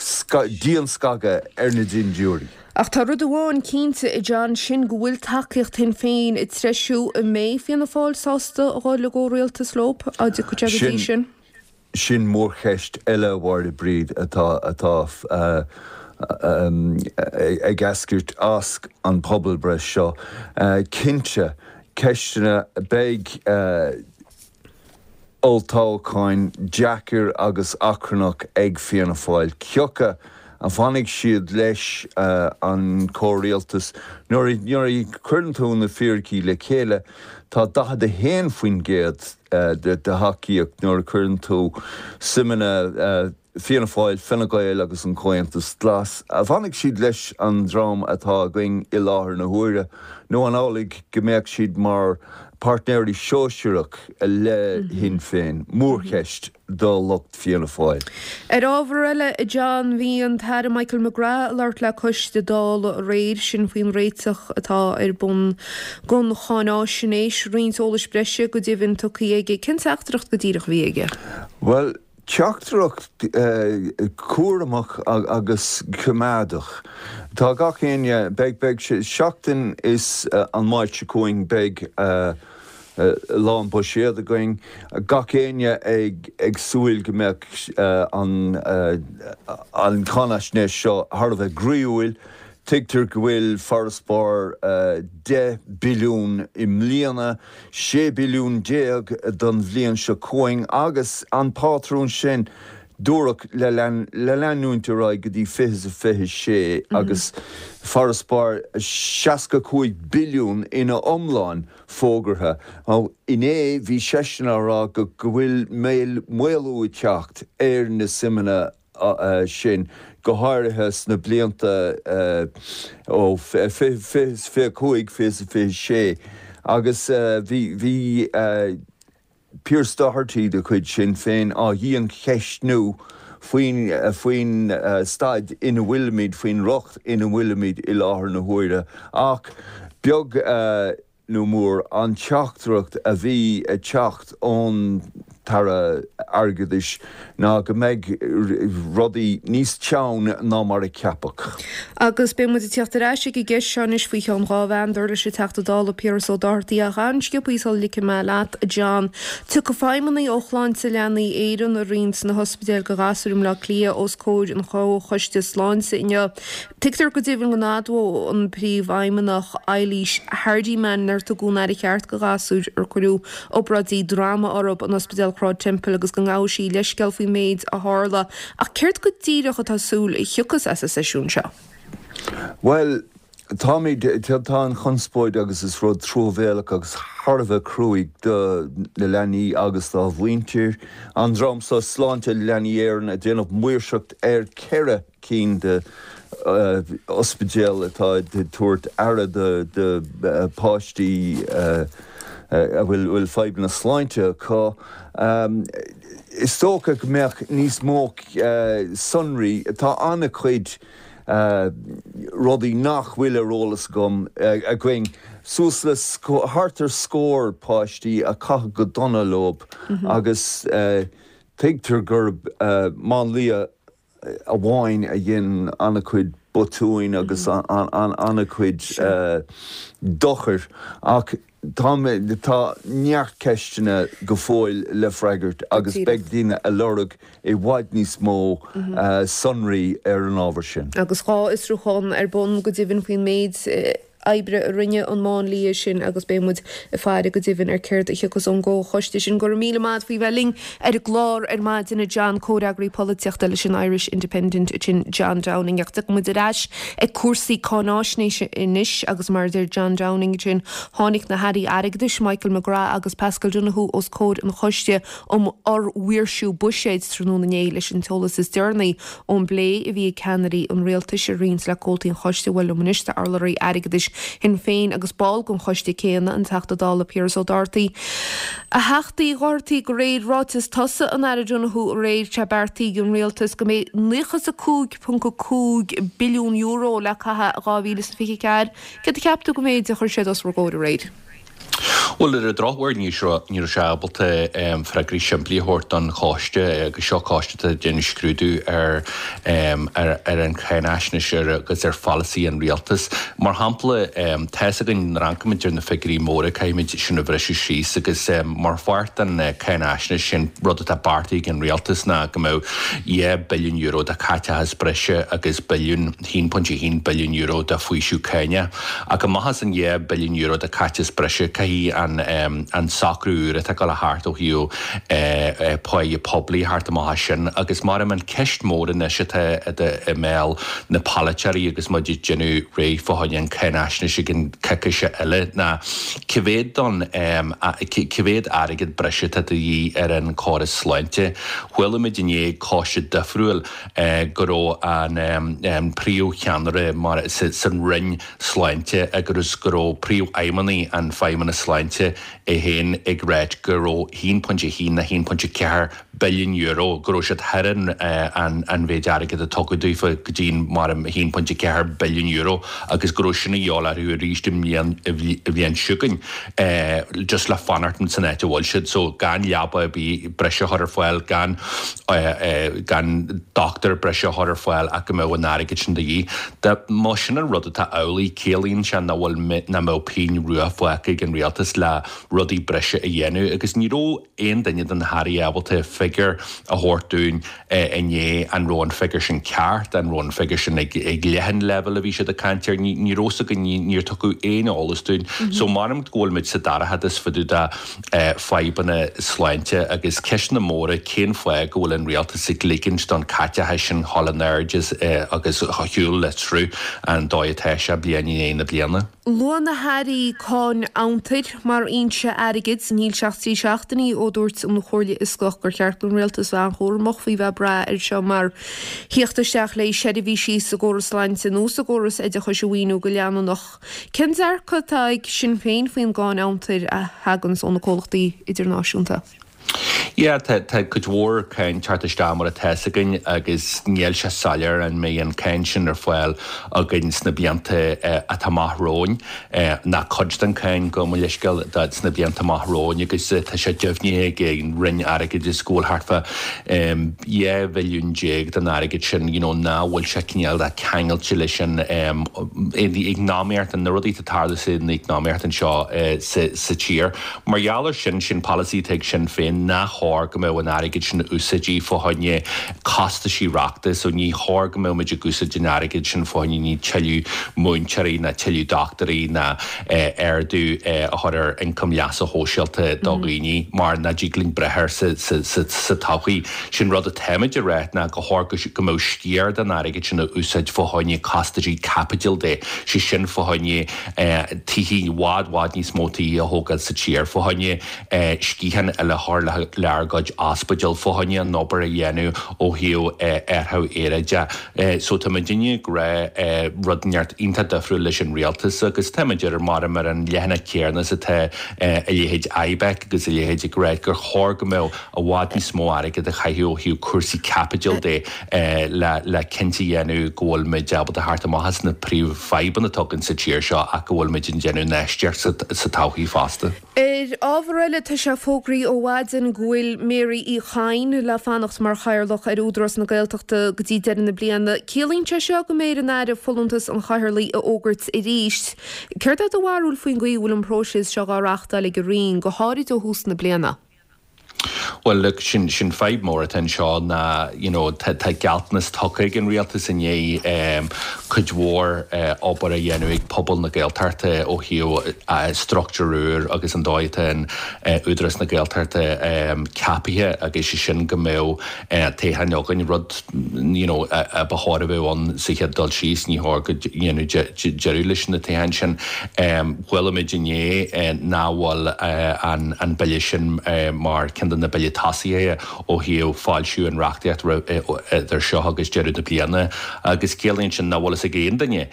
dianscagadh ar na dindiúirí. Ach tá rud amháin cinnte, a John, sin go bhfuil tacaíocht Shinn Féin ag treisiú. An mbeidh Fianna Fáil sásta a dhul i gcomhrialtas leo, dá dtiocfadh sé go dtí sin? Sin mórcheist eile, a Mháire Bríd, atá atá ag eascairt as an pobalbhreith seo. Cinnte, ceisteanna, beidh olltoghcháin deacair agus achrannach ag Fianna Fáil. Cé acu a bhfanfaidh siad leis an chomhrialtas? Nuair a chuireann tú na fíricí le chéile, tá daichead a haon faoin gcéad de thacaíocht nuair a chuireann tú suimeanna Fianna Fáil, Fine Gael agus an Comhaontas Glas. An bhfanfaidh siad leis an dream atá againn i láthair na huaire nó an amhlaidh go mbeadh siad mar páirtnéirí sóisearach le Shinn Féin? Mórcheist do lucht Fianna Fáil. Ar ábhar eile, a John, bhí an tAire Michael McGrath ag labhairt le coiste Dála aréir, sin faoin réiteach atá ar bun don cháináisnéis. Roinnt eolais breise go deimhin tugtha aige. Cén teachtaireacht go díreach a bhí aige? Bhuel, teachtaireacht cúramach agus coimeádach. Tá gach éinne, beidh, beidh sé, seachtain is an Máirt seo chugainn beidh Lá an buiséad againn, gach éinne ag ag súil go mbeadh an an cháinaisnéis seo thar a bheith groíúil. Tuigtear go bhfuil farasbarr deich billiún i mbliana, sé billiún déag don bhliain seo chugainn agus an pátrún sin dúradh le leanúint ar aghaidh go dtí fiche is a fiche sé agus farasbarr seasca cúig billiún ina iomlán fógartha. Inné bhí seisean á rá go bhfuil maolú ag teacht ar na suimeanna sin, go háirithe sna blianta ó fiche is fiche cúig, fiche is fiche sé, agus bhí bhí Pearse Doherty de chuid Sinn Féin á dhiancheistniú faoin faoin staid ina bhfuilimid, faoin riocht ina bhfuilimid i láthair na huaire. Ach beag nó mór an teachtaireacht a bhí ag teacht ón tAire Airgeadais ná go mbeidh rudaí níos teann ná mar a ceapadh. Agus beidh muid ag teacht ar ais ag an gceist seo anois faoi cheann dhá mheán, dar leis an Teachta Dála Piaras Ó Dochartaigh ach an-sciobtha sula ligfidh mé leat, a John. Tiocfaidh feidhmeannaigh ó Shláinte Leanaí Éireann, a roinnt de na hospidéil do ghasúir i mBleá Cliath os comhair an Chomhchoiste Sláinte inniu. Tuigtear go deimhin go n-admhóidh an Príomhfheidhmeannach Eilís Hardiman nár tugadh an aire cheart do ghasúir ar cuireadh obráidí droma orthu in Ospidéal Shráid Temple agus go ngabhfaidh sí leithscéal faoin méid a tharla. Ach céard go díreach atá súil a thiocfas as an seisiún seo? Bhuel, táimid, tá an chonspóid agus is rud truamhéalach agus thar a bheith cruaidh do na leanaí agus dá mhuintir. An dream seo, Sláinte Leanaí Éireann, ag déanamh maoirseacht ar ceithre cinn de ospidéil atá ag tabhairt aire do pháistí a bhfuil fadhbanna sláinte acu. Is dócha go mbeadh níos mó sonraí, tá an-chuid rudaí nach bhfuil ar eolas agam, againn, suas le thart ar scór páistí a caitheadh go dona leo agus tuigtear gurb máinlia amháin a dhein an-chuid botúin agus an-chuid dochair ach tá tá neart ceisteanna go fóill le freagairt agus beidh daoine ag lorg i bhfad níos mó sonraí ar an ábhar sin. Agus dhá fhiosrúchán ar bun go deimhin faoin méid oibre a rinne an máinlia sin agus beidh muid ag faire go deimhin ar céard a thiocfas ón gcomhchoiste sin. Go raibh míle maith faoi bheith linn ar an gclár ar maidin, a John, comhfhreagraí polaitíochta leis an Irish Independent sin John Downing. Ach tiocfaidh muid ar ais ag cúrsaí cáináisnéise anois agus mar a deir John Downing sin tháinig na hairí airgeadais Michael McGrath agus Paschal Donohoe os comhair an choiste um fhormhaoirsiú buiséid tráthnóna inné leis an t-eolas is deireanaí ón bplé a bhí ag ceannairí an rialtais a roinnt le comhaltaí an choiste bhuel liom anois tá urlabhraí airgeadais Shinn Féin agus ball den choiste céanna, an Teachta Dála Piaras Ó Dochartaigh. A Theachta Uí Dhochartaigh, de réir ráiteas tosaigh an Aire Donohoe aréir, tá beartaithe ag an rialtas go mbeidh naocha is a cúig ponc a cúig billiún euro le caitheamh i dhá mhíle is fiche a ceathair. Céard a cheap tú den mhéid a chuir siad os bhur gcomhair aréir? Bhuel, ar an drochuair ní raibh sé ábalta freagraí simplí a thabhairt don choiste agus seo coiste atá ag déanamh scrúdú ar ar an cháinaisnéis agus ar pholasaí an rialtais. Mar shampla, tá fhios againn nuair a amharcaimid ar na figiúirí móra caithfimid sin a bhriseadh síos agus mar pháirt den cháinaisnéis sin rud atá beartaithe ag an rialtas ná go mbeadh dhá billiún euro de chaiteachas breise agus billiún, haon pointe a haon billiún euro de faoiseamh cáinach. Ach amach as an dhá billiún euro de chaiteachas breise caithfidh an an socrú úr atá ag dul a theacht ó thaobh páighe poiblí a theacht amach as sin agus mar an ceist mór anois atá i mbéal na polaiteoirí agus muid ag déanamh réidh fá choinne an cháinaisnéis i gceann coicíse eile ná cá mhéad don cá mhéad airgead breise atá de dhíth ar an chóras sláinte. Chuala muid inné ag coiste difriúil go raibh an príomhcheannaire mar san Roinn Sláinte agus go raibh príomhfheidhmeannaigh an Feidhmeannas Sláinte é féin ag ráit go raibh haon pointe a haon nó haon pointe ceathair billiún euro, go raibh siad thar an an mhéid airgid a tugadh daofa go dtí mar a haon pointe ceathair billiún euro agus go raibh sin a dhíobháil orthu arís i mbliain i bhliain seo chugainn just le fanacht san áit a bhfuil siad so gan leaba ar bith breise a chur ar fáil, gan gan dochtúir breise a chur ar fáil ach go mbeadh an airgead sin de dhíth. Má sin an rud atá amhlaidh ciallaíonn sé nach bhfuil nach mbeadh pingin rua fágtha ag an rialtas le rudaí breise a dhéanamh agus ní raibh aon duine de na hairí ábalta figiúr a thabhairt dúinn inné an raibh an figiúr sin ceart, an raibh an figiúr sin ag ag leith an leibhéal a bhí siad ag caint air, ní raibh fhios againn, níor tugadh aon eolas dúinn. So measaim go bhfuil muid sa dorchadas fá dtaobh de fadhbanna sláinte agus ceisteanna móra cén fáth go bhfuil an rialtas ag ligint don caiteachas sin dhul in airde agus a shiúl le sruth an dóigh atá sé bliain i ndiaidh na bliana. Luaigh na hairí cáin fhiontair mar fhoinse airgid. Níl sé ach trí seachtainí ó dúirt an Chomhairle Fhioscach gur cheart don rialtas bheith an-chúramach faoi bheith ag brath air seo mar theacht isteach le seirbhísí sa gcóras sláinte nó sa gcóras oideachais a mhaoiniú go leanúnach. Cén dearcadh atá ag Sinn Féin faoin gcáin fhiontair a thaganns ó na comhlachtaí idirnáisiúnta? Yeah, tá tá cuid mhór cáin teacht isteach mar atá fhios againn agus níl sé soiléir an mbeidh an cáin sin ar fáil againn sna blianta atá amach romhainn, ná cuid den cáin gabh mo leithscéal sna blianta amach romhainn agus tá sé deimhnithe ag an Roinn Airgeadais go bhfuil thart fá dhá bhilliún déag den airgead sin you know ná bhfuil sé cineál de ceangailte leis an eacnamaíocht, na rudaí atá ag tarlú san eacnamaíocht anseo sa tír. Mar gheall ar sin, sin polasaí atá ag Sinn Féin nach chóir go mbeadh an airgead sin a úsáidí fá choinne costaisí reachta so ní chóir go mbeadh muid ag úsáid an airgead sin fá choinne ní tuilleadh múinteoirí ná tuilleadh dochtúirí ná ardú a chur ar ioncam leasa shóisialta do dhaoine mar nach dtig linn breith air sa sa todhchaí. Sin rud atáimid a rá ná go chóir go mbeadh sciar den airgead sin a úsáid fá choinne costaisí caipitil de, sé sin fá choinne tithe i bhfad bhfad níos mó tithe a thógáil sa tír, fá choinne sciatháin eile a chur le ár gcuid ospidéal, fá choinne an obair a dhéanamh ó thaobh athrú aeráide. So tá muidinne ag rá rud inteacht iontach difriúil leis an rialtas agus tá muid ar mar ar an leathanach céanna is atá a leithéid IBEC agus a leithéid ag rá gur chóir go mbeadh i bhfad níos mó airgead a chaitheamh ó thaobh cúrsaí caipitil de le le cinnte a dhéanamh go bhfuil muid ábalta theacht amach as na príomhfhadhbanna atá againn sa tír seo ach go bhfuil muid ag déanamh infheistíocht sa todhchaí fosta. Ar ábhar eile, tá sé fógraithe ó mhaidin go bhfuil Mary Uí Chadhain le fanacht mar Chathaoirleach ar Údarás na Gaeltachta go dtí deireadh na bliana. Ciallaíonn sé seo go mbeidh ar an Aire folúntas an Chathaoirligh a fhógairt arís. Céard é do bharúil faoin gcaoi a bhfuil an próiseas seo á reáchtáil ag an Roinn, go háirid ó thús na bliana? Bhuel look, sin sin fadhb mór atá anseo ná you know tá tá gealltanas tugtha ag an rialtas i ndiaidh um, cuid mhór uh, obair a dhéanamh ag pobal na Gaeltachta ó thaobh uh, struchtúr úr agus an dóigh atá an uh, Údarás na Gaeltachta um, ceaptha agus sé sin go mbeadh uh, toghchán againn rud you know, a, a ba chóir a bheith ann sa chéad dul síos ní chóir go dhéanamh deireadh leis na toghcháin sin. Um, Chuala muid inné uh, nach bhfuil uh, an, an bille sin uh, mar ceann de na billí tosaithe ó thaobh foilsiú an reachtaíocht idir seo agus deireadh na bliana agus ciallaíonn sin nach bhfuil fhios ag aon duine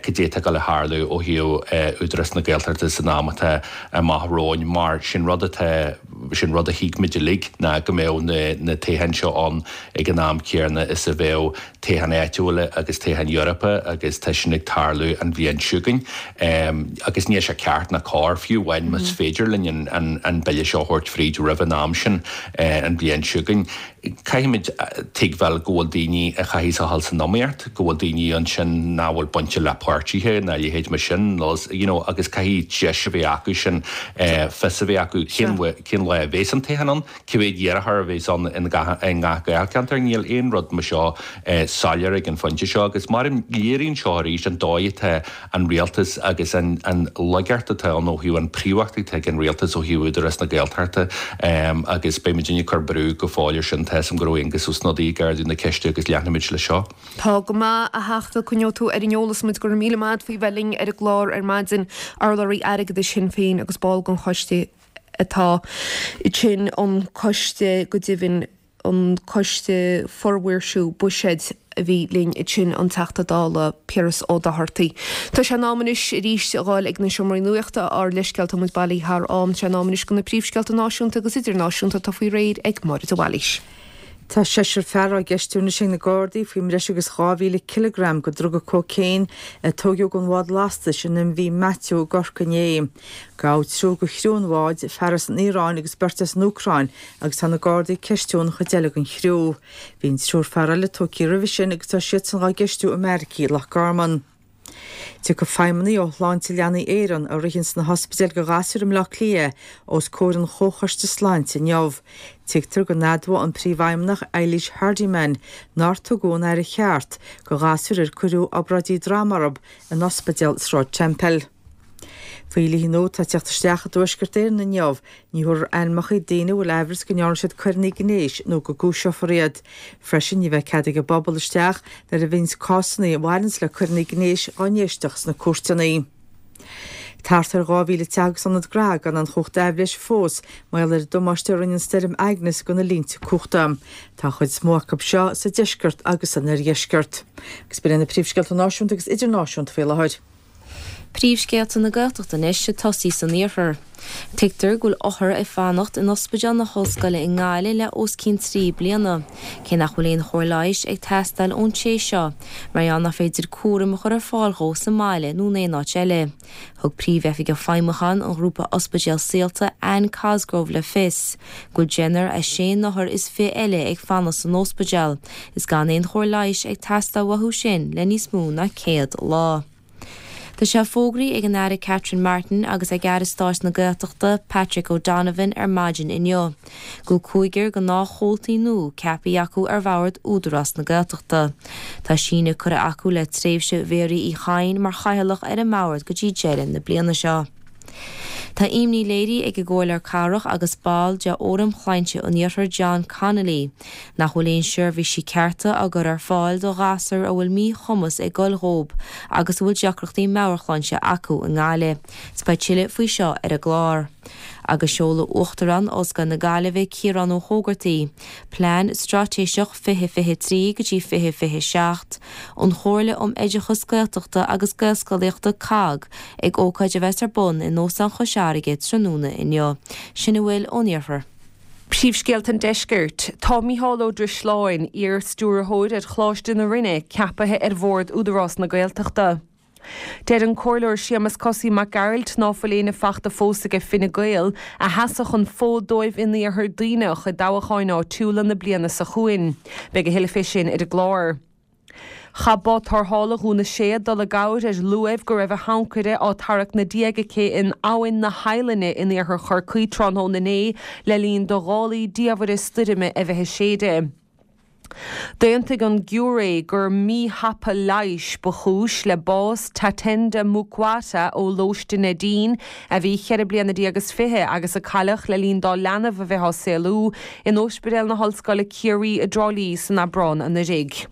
cad é atá ag dul a tharlú ó thaobh Údarás na Gaeltachta san am atá amach romhainn mar sin rud atá sin rud a thuig muid uilig ná go mbeadh na na toghcháin seo ann ag an am céanna is a bheadh toghcháin áitiúla agus toghcháin Eorpacha agus tá sin ag tarlú an bhliain seo chugainn agus níl sé ceart ná cóir fiú amháin más féidir linn an an an bille seo a thabhairt fríd roimh an am sin an bhliain seo chugainn. Caithfimid tuigbheáil go bhfuil daoine a chaithfidh a dhul san iomaíocht, go bhfuil daoine ansin nach bhfuil bainte le páirtithe ná a leithéid mar sin you know agus caithfidh deis a bheith acu sin fios a bheith acu cén cén lá a bheas an toghchán ann, cé mhéad iarrthóir a bheas ann in gach i ngach Gaelcheantar. Níl aon rud mar seo soiléir ag an phointe seo agus mar léiríonn seo arís an dóigh atá an rialtas agus an an laigeacht atá ann ó thaobh an phríomhacht atá ag an rialtas ó thaobh Údarás na Gaeltachta agus beidh muidinne ag cur brú go fóill ar sin. Tá 'fhios a'm go raibh Aengus Ó Snodaigh ag ardú na ceiste agus leanfaimid leis seo. Tá go maith, a Theachta, coinneoidh tú ar an eolas muid. Go raibh míle maith agat faoi bheith linn ar an gclár ar maidin, urlabhraí airgeadais Shinn Féin agus ball den choiste atá, sin an coiste go deimhin. an Coiste Formhaoirsiú Buiséid a bhí linn ansin an Teachta Dála Piaras Ó Dochartaigh. Tá sé in am anois arís a ghabháil ag na seomraí nuachta ár leithscéal tá muid bailí thar am sé in am anois do na príomhscéalta náisiúnta agus idirnáisiúnta atá faoi réir ag Máire de Bhailís. Tá seisear fear á gceistiú anois ag na Gardaí faoi mbreis agus dhá mhíle cileagram de dhruga cócaon a tóigeadh den bhád lastais an MV Matthew i gCorcaigh inné. Gabhadh triúr de chriú an bháid, fear as an Iaráin agus beirt as an Úcráin agus tá na Gardaí ag ceistiú an chuid eile den chriú. Bhí an triúr fear eile tógtha roimhe sin agus tá siadsan á gceistiú i mbeairicí Loch Garman. Tiocfaidh feidhmeannaigh ó Shláinte Leanaí Éireann a ritheanns na hospidéil do ghasúir i mBleá Cliath os comhair an Chomhchoiste Sláinte inniu. Tuigtear go n-admhóidh an Príomhfheidhmeannach Eilís Hardiman nár tugadh an aire cheart do ghasúir ar cuireadh obráidí droma orthu in Ospidéal Sráid Temple. Faoi dhlíthe nua atá ag teacht isteach i dTuaisceart Éireann inniu, ní thabharfar ainmeacha daoine a bhfuil aimhreas go ndearna siad coireanna gnéis nó go gcúiseofar iad. Freisin, ní bheidh cead ag an bpobal isteach nuair a bhíonns cásanna a bhaineanns le coireanna gnéis á n-éisteacht sna cúirteanna. Thart ar dhá mhíle teach agus ionad gnó gan aon chumhacht aibhléise fós mar gheall ar an damáiste a rinne an stoirm Agnes do na línte cumhachta. Tá an chuid is mó acu seo sa deisceart agus san oirdheisceart. Agus b'in iad na príomhscéalta náisiúnta agus idirnáisiúnta faoi láthair. Príomhscéalta na Gaeltachta anois ag tosaí san iarthar. Tuigtear go bhfuil othar ag fanacht in Ospidéal na hOllscoile i nGaillimh le os cionn trí bliana, cé nach bhfuil aon chóir leighis ag teastáil ón té seo, mar gheall nach féidir cúram a chur ar fáil dhó sa mbaile nó in aon áit eile. Thug Príomhoifigeach Feidhmiúcháin an ghrúpa Ospidéal Saolta, Anne Cosgrove le fios go bhfuil deichniúr is sé n-othar is fiche eile ag fanacht san ospidéal is gan aon chóir leighis ag teastáil uathu sin le níos mó ná céad lá. Tá sé fógraithe ag an Aire Catherine Martin agus ag Aire Stáit na Gaeltachta Patrick O'Donovan ar maidin inniu go bhfuil cúigear gnáthchomhaltaí nua ceaptha acu ar bhord Údarás na Gaeltachta. Tá síneadh curtha acu le tréimhse Mhéaraí Uí Chadhain mar chathaoirleach ar an mbord go dtí deireadh na bliana seo. Tá imní léirithe ag an gComhairleoir Cathrach agus ball de Fhóram Shláinte an Iarthair John Connolly nach bhfuil aon seirbhísí cearta á gcur ar fáil do ghasúir a bhfuil míchumas ag goil dhóibh agus a bhfuil deacrachtaí meabhairshláinte acu i nGaillimh. Is beidh tuilleadh faoi seo ar an gclár. Agus seolfaidh Uachtarán Ollscoil na Gaillimhe Ciarán Ó hÓgartaigh Plean Straitéiseach fiche fiche trí go dtí fiche fiche seacht, an Chomhairle um Oideachas Gaeltachta agus Gaelscolaíochta, COGG, ag ócáid a bheas ar bun in Óstán Chois Fharraige tráthnóna inniu. Sin a bhfuil ón iarthar. Príomhscéalta an Deiscirt. Tá Mícheál Ó Drisleáin, iar-stiúrthóir ar Choláiste na Rinne, ceapaithe ar bhord Údarás na Gaeltachta. Deir an Comhairleoir Séamus Cosaí Mac Gearailt ná fuil éinne fachta fós aige Fine Gael a sheasfadh an fód dóibh in Iarthar Duibhneach i dtoghcháin áitiúla na bliana seo chugainn. Beidh a thuilleadh fé sin ar an gclár. Chaith bád tarrthála Dhún na Séad dul i gcabhair ar luaimh go raibh a hancaire á tarrac 'na diaidh aici in Abhainn na hEidhlinne in iarthar Chorcaí tráthnóna inné le linn do ghálaí diamhaire stoirme a bheith ag séideadh. D'aontaigh an giúiré gur míthapa leighis ba chúis le bás Tatenda Mukwata ó Lóiste Neidín, a bhí ceithre bliana déag is fiche agus a cailleadh le linn dá leanbh a bheith á saolú in Ospidéal na hOllscoile Ciarraí i dTrá Lí san Aibreán anuraidh.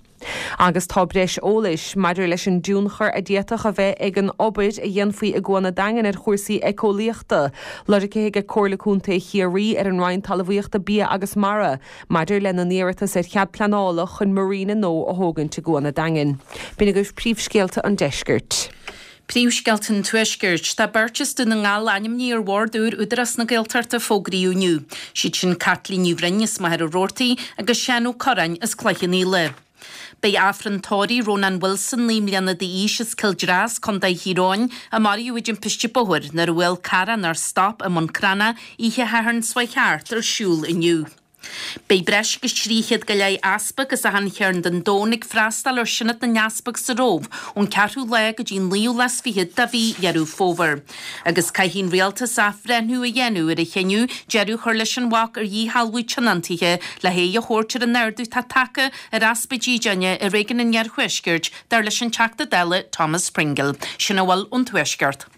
Agus tá breis eolais maidir leis an dtionchar a d'fhéadfadh a bheith ag an obair a dhéanfaí i gCuan an Daingin ar chúrsaí éiceolaíochta lorgtha ag Comhairle Contae Chiarraí ar an Roinn Talmhaíochta, Bia agus Mara maidir lena n-iarratas ar chead pleanála chun marina nua a thógaint i gCuan an Daingin. B'in agaibh príomhscéalta an deiscirt. Príomhscéalta an Tuaiscirt. Tá beirt as Dún na nGall ainmnithe ar bhord úr Údarás na Gaeltachta a fógraíodh inniu. Siad sin Caitlín Ní Bhroin as Machaire Rabhartaigh agus Seán Ó Curráin as Cloich Cheann Fhaola. Beidh Aifreann tórraimh Rónán Wilson, naoi mbliana d'aois, as Cill Dreas, Contae Thír Eoghain, a maraíodh i dtimpiste bóthair nuair a bhuail carr é nár stop i mBun Cranncha oíche Shathairn seo chuaigh thart ar siúl inniu. Beidh breis agus trí chéad go leith easpag as achan chearn den domhan ag freastal ar Sionad na nEaspag sa Róimh ón ceathrú lá go dtí an naoú lá is fiche de mhí Dheireadh Fómhair. Agus caithfidh an rialtas athbhreithniú a dhéanamh ar a chinneadh deireadh a chur leis an bhac ar dhíshealbhú tionóntaithe le haghaidh a thabhairt ar an ardú atá tagtha ar easpa dídeana i réigiún an Iarthuaiscirt, dar leis an Teachta Dála Thomas Pringle. Sin a bhfuil ón Tuaisceart.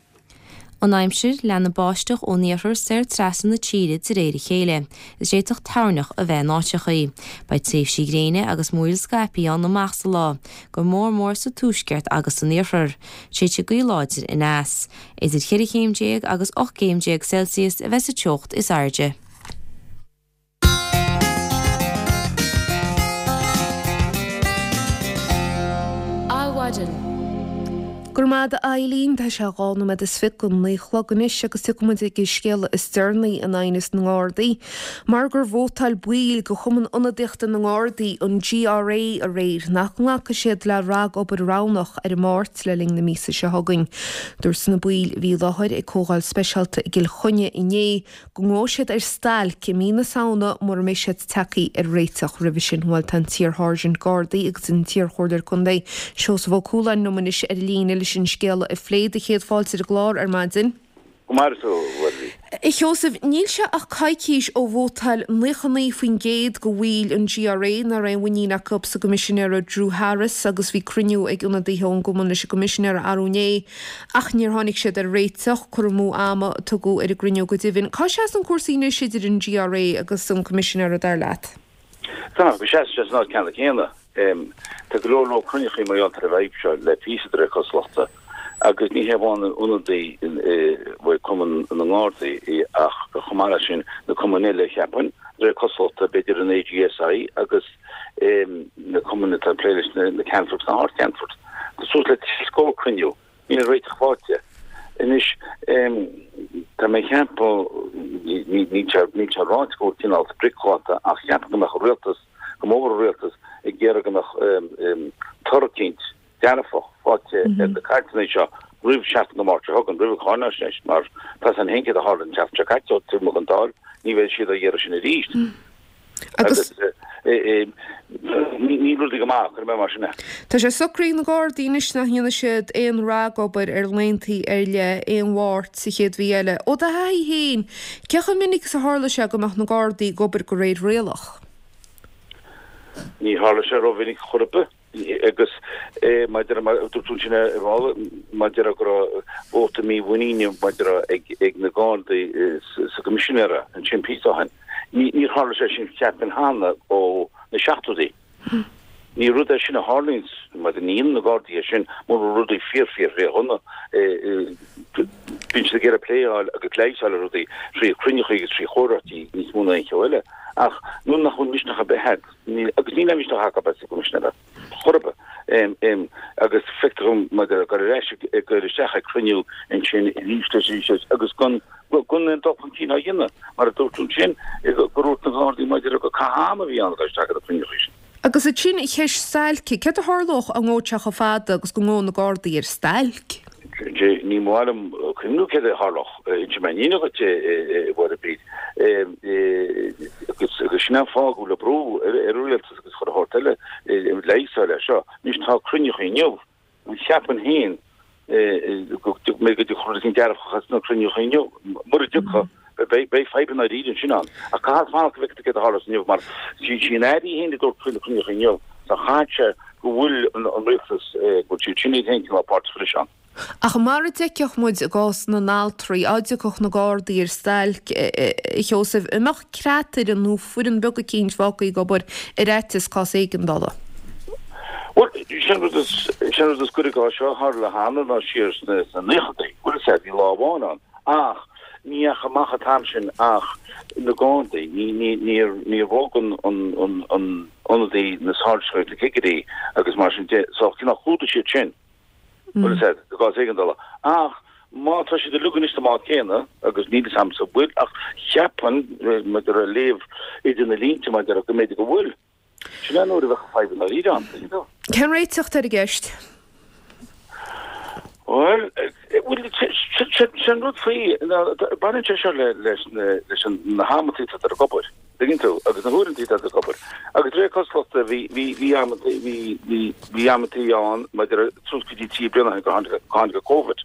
An aimsir, Leanfaidh báisteach ón iarthar soir trasna na tíre de réir a chéile, is d'fhéadfadh toirneach a bheith in áiteachaí. Beidh tréimhsí gréine agus múraíl scaipthe ann amach sa lá, go mór mór sa tuaisceart agus san iarthar. Séidfidh gaoth láidir aneas. Idir cheithre chéim déag agus ocht gcéim déag Celsius a bheidh sa teocht is airde. maidin. Go raibh maith agat Eileen, tá sé dhá nóiméad is fiche go naoi a chlog anois agus tiocfaidh muid ag an scéala is deireanaí in aighneas na nGardaí. Mar gur vótáil baill de Chumann Ionadaíochta na nGardaí, an GRA, aréir nach nglacfaidh siad le ragobair roghnach ar an Máirt le linn na míosa seo chugainn. Dúirt na baill a bhí i láthair ag comhdháil speisialta i gCill Chainnigh inné go ngabhfaidh siad ar stailc i mí na Samhna mura mbeidh siad tagtha ar réiteach roimhe sin. Bhuel tá an t-iar-sháirsint Gardaí agus an t-iar-chomhairleoir contae Seosamh Ó Cualáin liom anois ar líne leis an scéala a phlé. Do chéad fáilte ar an gclár ar maidin. Go maire tú, a Mhuirí. A Sheosaimh, níl sé ach coicís ó vótáil naocha naoi faoin gcéad de bhaill an GRA nach raibh aon mhuinín acu sa gCoimisinéara Drew Harris agus bhí cruinniú ag ionadaithe ón gcumann leis an gCoimisinéara arú inné ach níor tháinig siad ar réiteach. Cur amú ama a tugadh ar an gcruinniú go deimhin. Cá seasann cúrsaí anois idir an GRA agus an Coimisinéara dar leat? Tá, go seasann sé san áit ceanna céanna. Tá go leor leor cruinneachaí mar gheall ar an bhfadhb seo le píosa de réir cosúlachta agus ní hé amháin an ionadaí ó Chumann na nGardaí ach chomh maith leis sin na cumainn eile cheapfainn, de réir cosúlachta, b'fhéidir an AGSI agus na cumainn atá ag plé leis na Ceannfoirt na hArd-Cheannfoirt. Tá suas le trí scór cruinniú, níl réiteach faighte. Anois, tá mé ag ceapadh, níl sé ráite go bhfuil cineál sprioc glactha ach cheapfainn go mbeadh an rialtas, go mór an rialtas ag iarraidh go mbeadh toradh eicínt dearfach faighte ar na cainteanna seo roimh seachtain na Máirt seo chugainn, roimh an cháinaisnéis, mar tá san féin céard a tharla an tseachtain seo caite, ó taobh amuigh den Dáil, ní bheidh siad á iarraidh sin arís. Agus níl rudaí go maith, cuirfidh mé mar sin é. Tá sé socraithe ag na Gardaí anois nach ndéanfaidh siad aon ragobair ar laethanta ar leith aon Mháirt sa chéad mhí eile. Ó do thaithí féin, cé chomh minic is a tharla sé go mbeadh na Gardaí ag obair de réir rialach? Ní tharla sé rómhinic chor ar bith. Agus maidir le, mar a dúirt tú ansin ar ball, maidir le go raibh vóta mímhuiníne maidir ag ag na Gardaí sa gCoimisinéara ansin píosa ó shin, níor tharla sé sin cheapfainn cheana ó na seachtóidí. Ní rud é sin a tharlaíonns, mar ní dhéanann na Gardaí é sin mura bhfuil rudaí fíor fíor fíor dhona. Bíonn siad ag iarraidh plé a fháil agus leigheas a fháil ar rudaí trí chruinneachaí agus trí chomhráití níos mó ná aon cheo eile. Ach nuair nach bhfuil misneach ar bith agat, níl, agus níl aon mhisneach acu sa gCoimisinéara chor ar bith, agus feictear dom maidir le dul ar ais ag dul isteach ag cruinniú ansin arís is arís eile agus gan, gan aon dul chun cinn á dhéanamh, mar a dúirt tú ansin, gur dhúirt na Gardaí maidir le gur caitheamh ama a bhí ann ag dul isteach ar na cruinneachaí sin. Agus ansin an cheist stailce, céard a tharlódh dá ngabhfadh sé chomh fada agus go ngabhadh na Gardaí ar stailc? Ní maith liom cuimhniú céard a tharlódh. Inseoidh mé an fhírinne dhuit, a Mháire Bríd. Agus sin an fáth go bhfuil an brú ar an rialtas agus chuile shórt eile leigheas a fháil air seo. Anois tá cruinneachaí inniu. Cheapfainn féin go mbeidh go dtiocfadh rud éigin dearfach as na cruinniúchaí inniu. Mura dtiocfadh, beidh fadhb i ndáiríre ansin ann. Ach caithfear fanacht go bhfeicfidh tú céard a tharlós inniu mar sí an Aire í féin a dúirt faoi na cruinniúchaí inniu, so chaithfeadh sé go bhfuil an rialtas, go bhfuil siad sin iad féin cineál páirteach anois ann. Ach mar a d'fheicfeadh muid i gcás na n-altraí, dá dtiocfadh na Gardaí ar stailc, a Sheosaimh, an mbeadh creatfhoireann nó foireann beag eicínt fágtha ag obair ar fhaitíos cás éigeandála? Bhuel, sin rud is, sin rud is gaire do seo a tharla cheana ná siar sna, sna naochadaí. Bhuel, is ea, bhí lá amháin ann. Ach ní dheachaigh amach an t-am sin ach na Gardaí. Ní, ní, níor, níor bhog an, an, an, an ionadaí, na sáirsint agus na cigirí agus mar sin de. So, cineál chlúdaigh siad sin. Bhuel, is ea, i gcás éigeandála. Ach má tá siad uilig anois sa mbád céanna, agus níl fhios a'msa an bhfuil, ach cheapfainn, maidir le léamh idir na línte, maidir le go mb'fhéidir go bhfuil. Sin é an uair a bheadh fadhb i ndáiríre ann, tuigeann tú. Cén réiteach atá ar an gceist? Bhuel, bhuel, sé an rud faoi, ná baineann sé seo le, leis na, leis an, na hamantaí atá ag obair, tuigeann tú, agus na huaireantaí atá ag obair. Agus de réir cosúlachta bhí, bhí, bhí amantaí, bhí, bhí, bhí amantaí ann maidir le suas go dtí trí bliana ó shin gur tháinig, tháinig an Covid.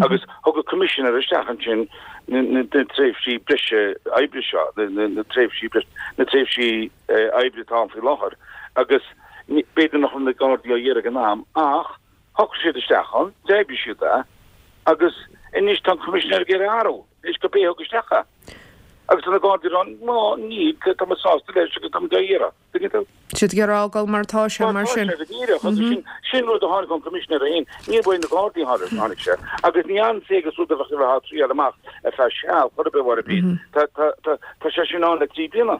Agus thug an Coimisinéir isteach ansin na tréimhsí breise oibre seo, na tréimhsí breise, na tréimhsí oibre atá ann faoi láthair. Agus b'fhéidir nach raibh na Gardaí á iarraidh ag an am ach shocraigh siad isteach ann, d'oibrigh siad é agus anois tá an Coimisinéir ag iarraidh athrú anois gurb é a thug isteach é. Agus tá na Gardaí ag rá, no, níl, tá muid sásta leis agus tá muid á iarraidh. Tuigeann tú? Siad ag iarraidh fágáil mar atá sé mar sin. Mar atá sé go díreach. Agus sin, sin rud a tháinig ón Coimisinéir féin, ní uaidh na Gardaí a tháinig sé. Agus ní ansaí agus rud a bheadh a bheith á thriail amach ar feadh seal, chor ar bith mar a bhí. Tá, tá, tá, tá sé sin ann le trí bliana.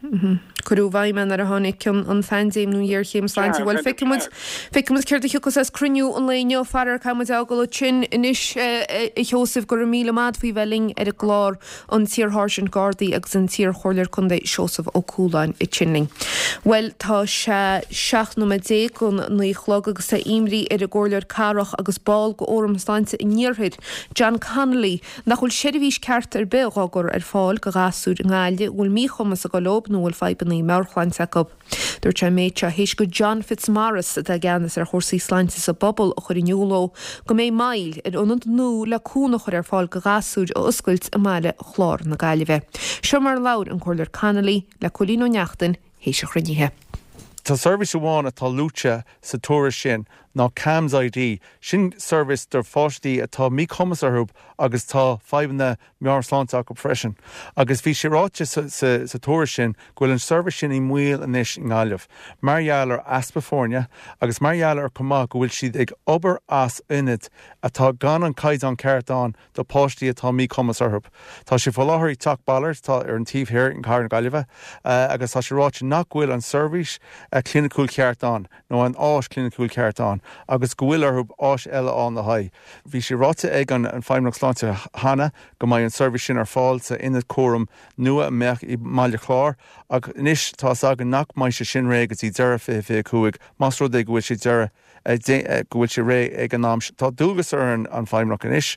Cuireadh i bhfeidhm é nuair a tháinig an, an phaindéim nó an ghéarchéim sláinte. Bhuel, feicfidh muid, feicfidh muid céard a thiocfas as cruinniú an lae inniu. Faraor, caithfidh muid a fhágáil ansin anois, a Sheosaimh, go raibh míle maith agat faoi bheith linn ar an gclár, an t-iar-Sháirsint Gardaí agus an t-iar-Chomhairleoir Contae Seosamh Ó Cualáin ansin linn. Bhuel, tá sé seacht nóiméad déag don naoi a chlog agus tá imní ar an gComhairleoir Cathrach agus ball de Fhóram Sláinte an Iarthair, John Connolly, nach bhfuil seirbhís ceart ar bith dhá gcur ar fáil do ghasúir i nGaillimh a bhfuil míchumas ag dul leob nó a bhfuil fadhbanna meabhairshláinte acu. Dúirt sé an méid seo théis go John Fitzmaurice, atá i gceannas ar chúrsaí sláinte sa bpobal, a chur in iúl dó go mbeidh moill ar ionad nua le cúnamh a chur ar fáil do ghasúir a oscailt i mBaile Chláir na Gaillimhe. Seo mar a labhair an Comhairleoir Connolly le Cóilín Ó Neachtain théis an chruinnithe. Tá seirbhís amháin atá luaite sa tuairisc sin ná CAMHS ID, sin seirbhís do pháistí atá míchumas orthu agus tá fadhbanna meabhairshláinte acu freisin. Agus bhí sé ráite sa, sa, sa tuairisc sin go bhfuil an seirbhís sin i mbaol anois i nGaillimh, mar gheall ar easpa foirne agus mar gheall ar chomh maith go bhfuil siad ag obair as ionad atá gan an caighdeán ceart ann do pháistí atá míchumas orthu. Tá sé faoi láthair i Teach Ballard atá ar an taobh thiar in Cathair na Gaillimhe agus tá sé ráite nach bhfuil an seirbhís cliniciúil cheart ann nó an áis cliniciúil ceart ann agus go bhfuil orthu áis eile ann le haghaidh. Bhí sé ráite ag an Feidhmeannacht Sláinte cheana go mbeidh an seirbhís sin ar fáil sa ionad cúraim nua a mbeadh i mBaile Chláir ach anois tá a fhios againn nach mbeidh sé sin réidh go dtí deireadh fiche fiche cúig más rud é go bhfuil sé deireadh go bhfuil sé réidh ag an am. Tá dualgas ar an an Feidhmeannacht anois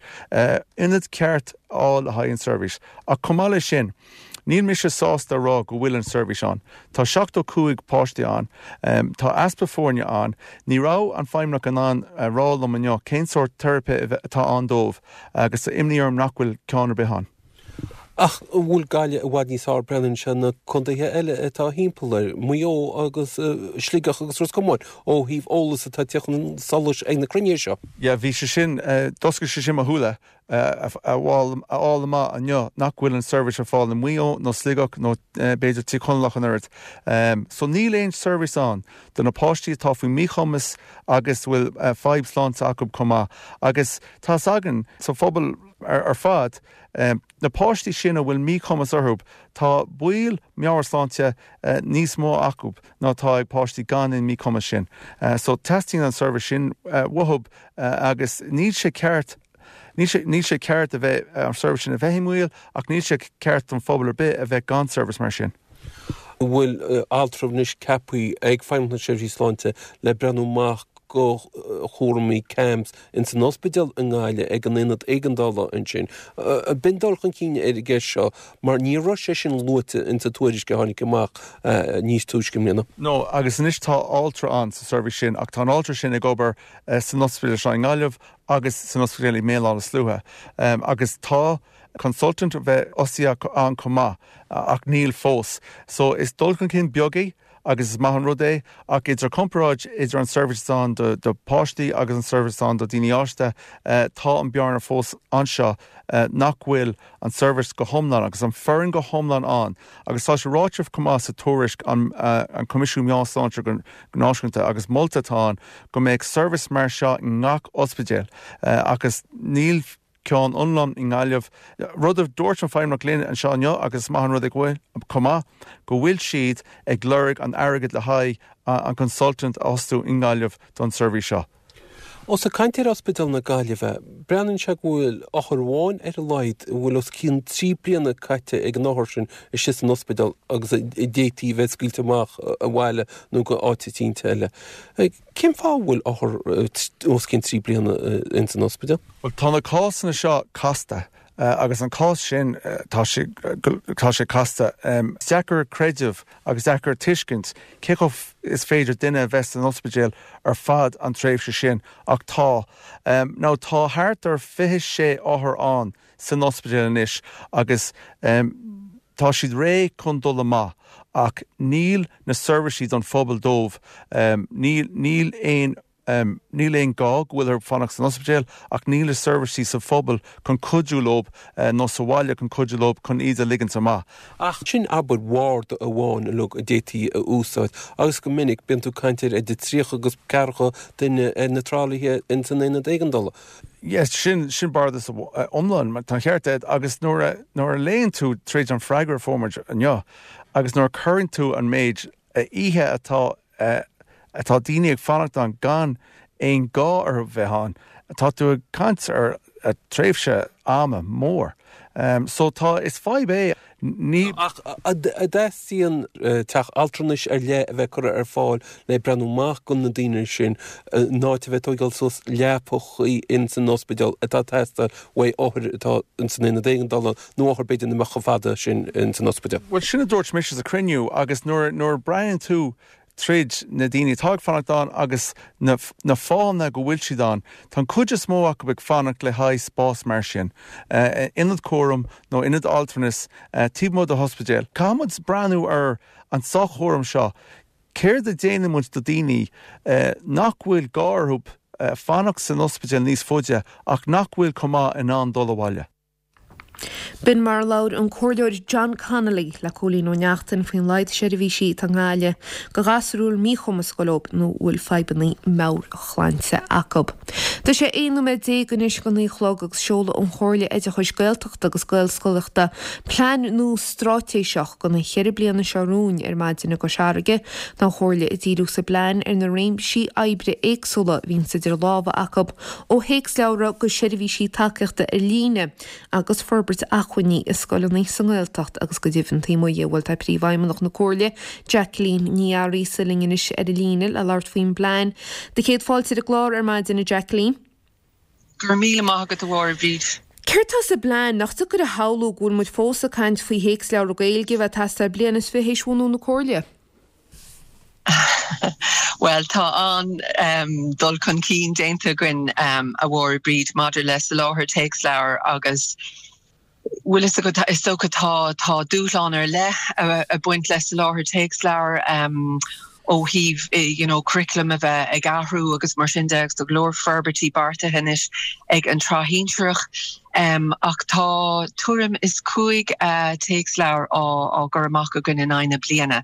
ionad ceart a fháil le haghaidh an seirbhís. Ach chomh maith leis sin, níl mise sásta a rá go bhfuil an seirbhís ann. Tá seachtó cúig páistí ann, tá easpa foirne ann, ní raibh an Feidhmeannach in ann a rá liom inniu cén sórt teiripe atá ann dóibh agus tá imní orm nach bhfuil ceann ar bith ann. Ach an bhfuil Gaillimh i bhfad níos fearr breathnaíonn sé na contaetha eile atá thimpeall air, Maigh Eo agus Sligeach agus Ros Comáin, ó thaobh eolas atá ag teacht chun solais ag na cruinnithe seo? Yeah, bhí sé sin, d'oscail sé sin mo shúile a fháil amach inniu nach bhfuil an seirbhís ar fáil i Maigh Eo nó Sligeach nó b'fhéidir Tír Chonaill ach an oiread. So níl aon seirbhís ann do na páistí atá faoi mhíchumas agus bhfuil fadhb sláinte acu chomh maith. Agus tá 's againn sa phobal ar fad, na páistí sin a bhfuil míchumas orthu, tá baol meabhairshláinte níos mó acu ná atá ag páistí gan an míchumas sin. So teastaíonn an seirbhís sin uathu agus níl sé ceart níl sé níl sé ceart a bheith an seirbhís sin a bheith i mbaol ach níl sé ceart don phobal ar bith a bheith gan seirbhís mar sin. An bhfuil altra anois ceaptha ag Feidhmeannacht na Seirbhísí Sláinte le breathnú amach go chúraimí CAMHS ins an ospidéal i nGaillimh ag an ionad éigeandála ansin. B'in dul chun cinn ar an gceist seo mar ní raibh sé sin luaite ins an tuairisc a tháinig amach níos túisce i mbliana. No, agus anois tá altra ann sa seirbhís sin ach tá an altra sin ag obair san ospidéal seo i nGaillimh agus san ospidéal i mBéal Átha na Sluaighe agus tá consultant a bheith fhostaithe ann chomh maith ach níl fós. So is dul chun cinn beag é agus is maith an rud é ach idir comparáid idir an seirbhís ann do, do páistí agus an seirbhís ann do daoine fásta tá an bearna fós anseo nach bhfuil an seirbhís go hiomlán agus an foireann go hiomlán ann agus tá sé ráite chomh maith sa tuairisc an, an Coimisiún Meabhair-Shláinte go náisiúnta agus molta atá ann go mbeadh seirbhís mar seo i ngach ospidéal agus níl ceann iomlán i nGaillimh. Rud a dúirt an Feidhmeannach linn anseo inniu agus is maith an rud é go bhfuil chomh maith go bhfuil siad ag lorg an airgead le haghaidh an consultant a fhostú i nGaillimh don seirbhís seo. Ós ag caint ar Ospidéal na Gaillimhe, breathnaíonn sé go bhfuil othar amháin ar a laghad a bhfuil os cionn trí bliana caite ag an othar sin istigh san ospidéal agus a d'fhéadfaí a bheith scaoilte amach abhaile nó go áit eicínt eile. Cén fáth a bhfuil othar os cionn trí bliana ins an ospidéal? Bhuel, tá na cásanna seo casta agus an cás sin tá sé tá sé casta. Is deacair creideamh agus deacair tuiscint cé chomh is féidir duine a bheith san ospidéal ar fad an tréimhse sin ach tá. Now tá thart ar fiche sé othar ann san ospidéal anois agus tá siad réidh chun dul amach ach níl na seirbhísí don phobal dóibh, níl níl aon Níl aon gá go bhfuil orthu fanacht san ospidéal ach níl na seirbhísí sa phobal chun cuidiú leo nó sa bhaile chun cuidiú leo chun iad a ligint amach. Ach sin abair ward amháin uilig a d'fhéadfaí a úsáid agus go minic bíonn tú ag caint ar idir tríocha agus ceathracha duine ar na tralaithe in san aonad éigeandála. Yes, sin sin bardas iomlán, tá an ceart agat agus nuair a nuair a léann tú tríd an freagra a fuair muid inniu agus nuair a cuireann tú an méid oíche atá atá daoine ag fanacht ann gan aon gá orthu bheith ann, tá tú ag caint ar tréimhse ama mór. So tá, is fadhb é. Ní. Ach an dteastaíonn teach altranais ar leith a bheith curtha ar fáil le breathnú amach do na daoine sin, in áit a bheith ag tógáil suas leapachaí ins an ospidéal atá ag teastáil uaidh othair atá ins an aonad éigeandála nó othair b'fhéidir nach mbeadh chomh fada sin ins an ospidéal. Bhuel, sin a dúirt mise sa chruinniú agus nuair nuair a breathnaíonn tú tríd na daoine atá ag fanacht ann agus na na fáthanna go bhfuil siad ann, tá an chuid is mó acu ag fanacht le haghaidh spás mar sin, ionad cúraim nó ionad altranais taobh amuigh de ospidéal. Caithfidh muid breathnú ar an soch-chúram seo, céard a dhéanann muid do daoine nach bhfuil gá orthu fanacht san ospidéal níos faide ach nach bhfuil chomh maith in ann dul abhaile. B'in mar a labhair an Comhairleoir John Connolly le Cóilín Ó Neachtain faoin laghad seirbhísí atá i nGaillimh do ghasúir a bhfuil míchumas ag dul leo nó a bhfuil fadhbanna meabhairshláinte acu. Tá sé aon nóiméad déag anois go naoi a chlog agus seoladh an Chomhairle Oideachais Gaeltachta agus Gaelscolaíochta plean nua straitéiseach do na ceithre bliana seo romhainn ar maidin i gCois Fharraige. Tá an Chomhairle ag díriú sa bplean ar na réimsí oibre éagsúla a bhíonns idir lámha acu, ó théacsleabhra go seirbhísí tacaíochta ar líne agus forbairt acmhainní i scoileanna sa nGaeltacht agus go deimhin taobh amuigh di. Bhuel tá Príomhfheidhmeannach na Comhairle, Jacqueline Ní Fhearraigh linn anois ar an líne le labhairt faoin bplean. Do chéad fáilte ar an gclár ar maidin, a Jacqueline. Go raibh míle maith agat a Mháire Bhríd. Céard tá sa bplean? Nach deacair a shamhlú go bhfuil muid fós ag caint faoi théacsleabhra Gaeilge a bheith ag teastáil bliain is fiche théis bhunú na Comhairle? Bhuel, tá an-dul chun cinn déanta againn, a Mháire Bríd, maidir le soláthar téacsleabhar agus bhfuil fhios agat, is dócha tá tá dúshlán ar leith ag baint le soláthar téacsleabhar ó thaobh you know curriculum a bheith ag athrú agus mar sin de agus tá go leor forbairtí beartaithe anois ag an tsraith shinsearach. Ach tá tuairim is cúig téacsleabhar á gcur amach againn in aghaidh na bliana.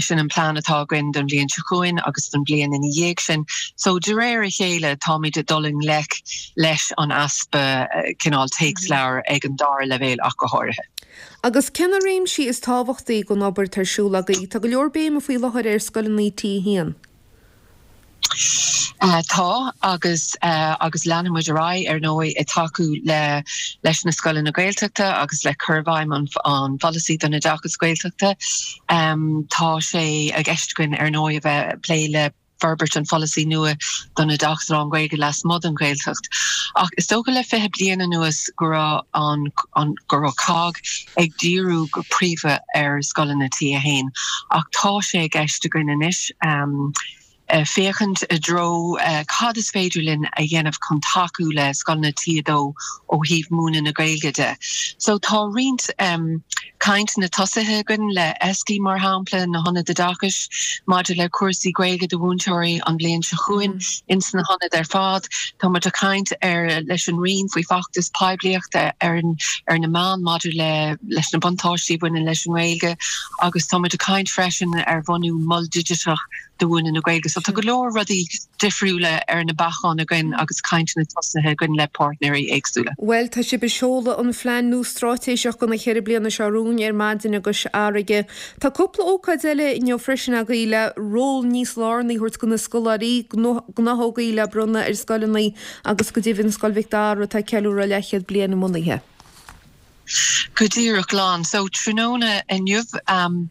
Sin an plean atá againn don bhliain seo chugainn agus don bhliain ina dhiaidh sin. So de réir a chéile táimid ag dul i ngleic leis an easpa cineál téacsleabhar ag an dara leibhéal ach go háirithe. Agus cé na réimsí is tábhachtaí den obair atá ar siúl agaibh? Tá go leor béime faoi láthair ar scoileanna T a haon. Tá, agus agus leanfaidh muid ar aghaidh, ar ndóigh, ag tacú le leis na scoileanna Gaeltachta agus le cur i bhfeidhm an an pholasaí don oideachas Gaeltachta. Tá sé i gceist againn, ar ndóigh, a bheith ag plé le forbairt an pholasaí nua don oideachas lán-Ghaeilge lasmuigh den Ghaeltacht. Ach is dócha le fiche bliain anuas go raibh an an go raibh COGG ag díriú go príomha ar scoileanna T a haon. Ach tá sé i gceist againn anois féachaint i dtreo cad is féidir linn a dhéanamh chun tacú le scoileanna T a dó ó thaobh múineadh na Gaeilge de. So tá roinnt cainteanna tosaithe againn le ESDI mar shampla, na hionaid oideachais, maidir le cúrsaí Gaeilge do mhúinteoirí an bhliain seo chugainn ins na hionaid ar fad. Tá muid ag caint ar leis an Roinn faoi feachtas poiblíochta ar ar na meáin maidir le leis na buntáistí a bhaineann leis an nGaeilge agus tá muid ag caint freisin ar bhunú mol digiteach do mhúineadh na Gaeilge. So tá go leor rudaí difriúla ar na bacáin againn agus cainteanna tosaithe againn le páirtnéirí éagsúla. Bhuel, tá sibh ag seoladh an phlean nua straitéiseach do na ceithre bliana seo romhainn ar maidin i gCois Fharraige. Tá cúpla ócáid eile inniu freisin agaibh le ról níos lárnaí a thabhairt do na scoláirí, gnáthógaí le bronnadh ar scoileanna agus go deimhin Scoil Mhic Dara atá ag ceiliúradh leathchéad bliain a mbunaithe. Go díreach lán. So tráthnóna inniu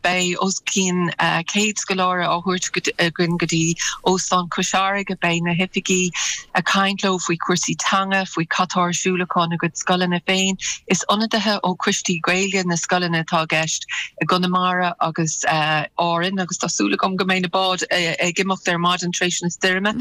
beidh os cionn céad scoláire á thabhairt againn go dtí Óstán Chois Fharraige. Beidh na hoifigigh ag caint leo faoi chúrsaí teanga, faoi cad tá ar siúl acu ina gcuid scoileanna féin. Is ionadaithe ó choistí Gaeilge na scoileanna atá i gceist i gConamara agus Árainn agus tá súil agam go mbeidh na báid ag imeacht ar maidin tar éis na stoirme.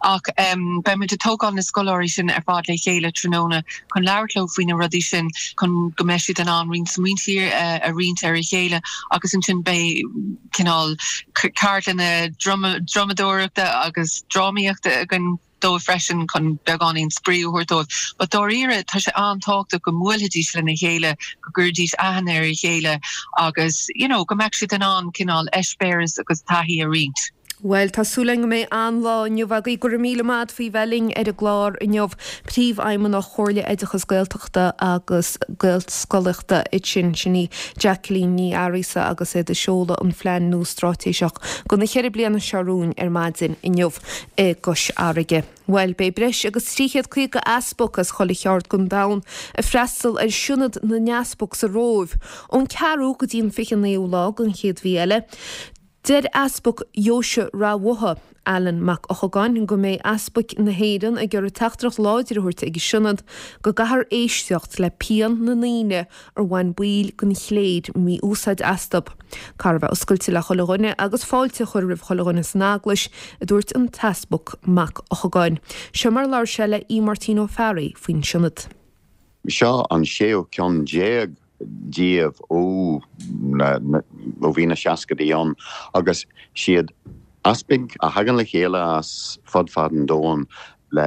Ach beidh muid ag tógáil na scoláirí sin ar fad le chéile tráthnóna chun labhairt leo faoi na rudaí sin, chun go go mbeidh siad in ann roinnt smaointe a roinnt ar a chéile agus ansin beidh cineál ceardlanna drumadóireachta agus drámaíochta againn dóibh freisin chun beagáinín spraoi a thabhairt dóibh. But dáiríre tá sé an-tábhachtach go mbuailfidís lena chéile, go gcuirfidís aithne ar a chéile agus you know go mbeadh siad in ann cineál eispéireas agus taithí a roinnt. Bhuel, tá súil againn go mbeidh an-lá inniu agaibh. Go raibh míle maith agat faoi bheith linn ar an gclár inniu. Príomhfheidhmeannach Chomhairle Oideachais Gaeltachta agus Gaelscolaíochta ansin, sin í Jacqueline Ní Fhearghusa agus iad ag seoladh an phlean nua straitéiseach do na ceithre bliana seo romhainn ar maidin inniu i gCois Fharraige. Bhuel, beidh breis agus trí chéad caoga easpag as chuile cheard den domhan ag freastal ar Sionad na nEaspag sa Róimh ón ceathrú go dtí an fiche naoú lá den chéad mhí eile. Deir Easpag Dheoise Ráth Bhotha, Alan Mac Eochagáin, go mbeidh easpaig na hÉireann ag iarraidh teachtaireacht láidir a thabhairt ag an Sionad go gcaithfear éisteacht le pian na ndaoine ar bhain baill den chléir mí-úsáid astu. Caithfear a bheith oscailte le chuile dhuine agus fáilte a chur roimh chuile dhuine san Eaglais, a dúirt an tEaspag Mac Eochagáin. Seo mar a labhair sé le Aodh Máirtín Ó Fearraigh faoin Sionad. Seo an séú ceann déag díobh ó ó bhí na seascaidí ann agus siad easpaig a thagann le chéile as fud fad an domhain le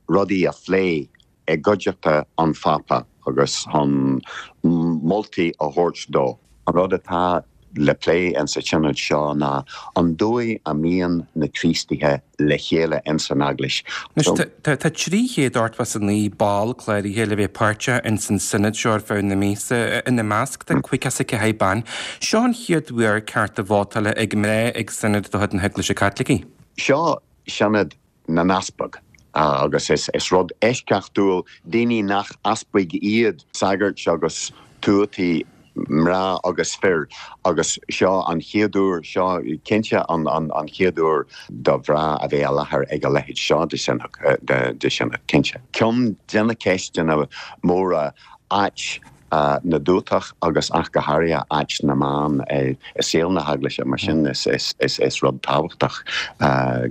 rudaí a phlé i gcuideachta an Phápa agus chun moltaí a thabhairt dó. An rud atá le plé insa tsionad seo ná an dóigh a mbíonn na Críostaithe le chéile ins an Eaglais. Anois, tá trí chéad ochtó is a naoi ball cláraithe le bheith páirteach ins an Sionad seo ar feadh na míosa. Ina measc tá caoga is a ceathair bean. Seo an chéad uair cearta vótála ag mná ag Sionad de chuid na hEaglaise Caitlicí. Seo Sionad na nEaspag agus is rud eisceachtúil daoine nach easpaig iad, sagairt agus tuataí, mná agus fir, agus seo an chéad uair, seo cinnte an chéad uair do mhná a bheith i láthair ag a leithéid seo de sionad, cinnte. Ceann de na ceisteanna móra, áit na dtuatach agus ach go háirithe áit na mban i saol na hEaglaise, mar sin is rud tábhachtach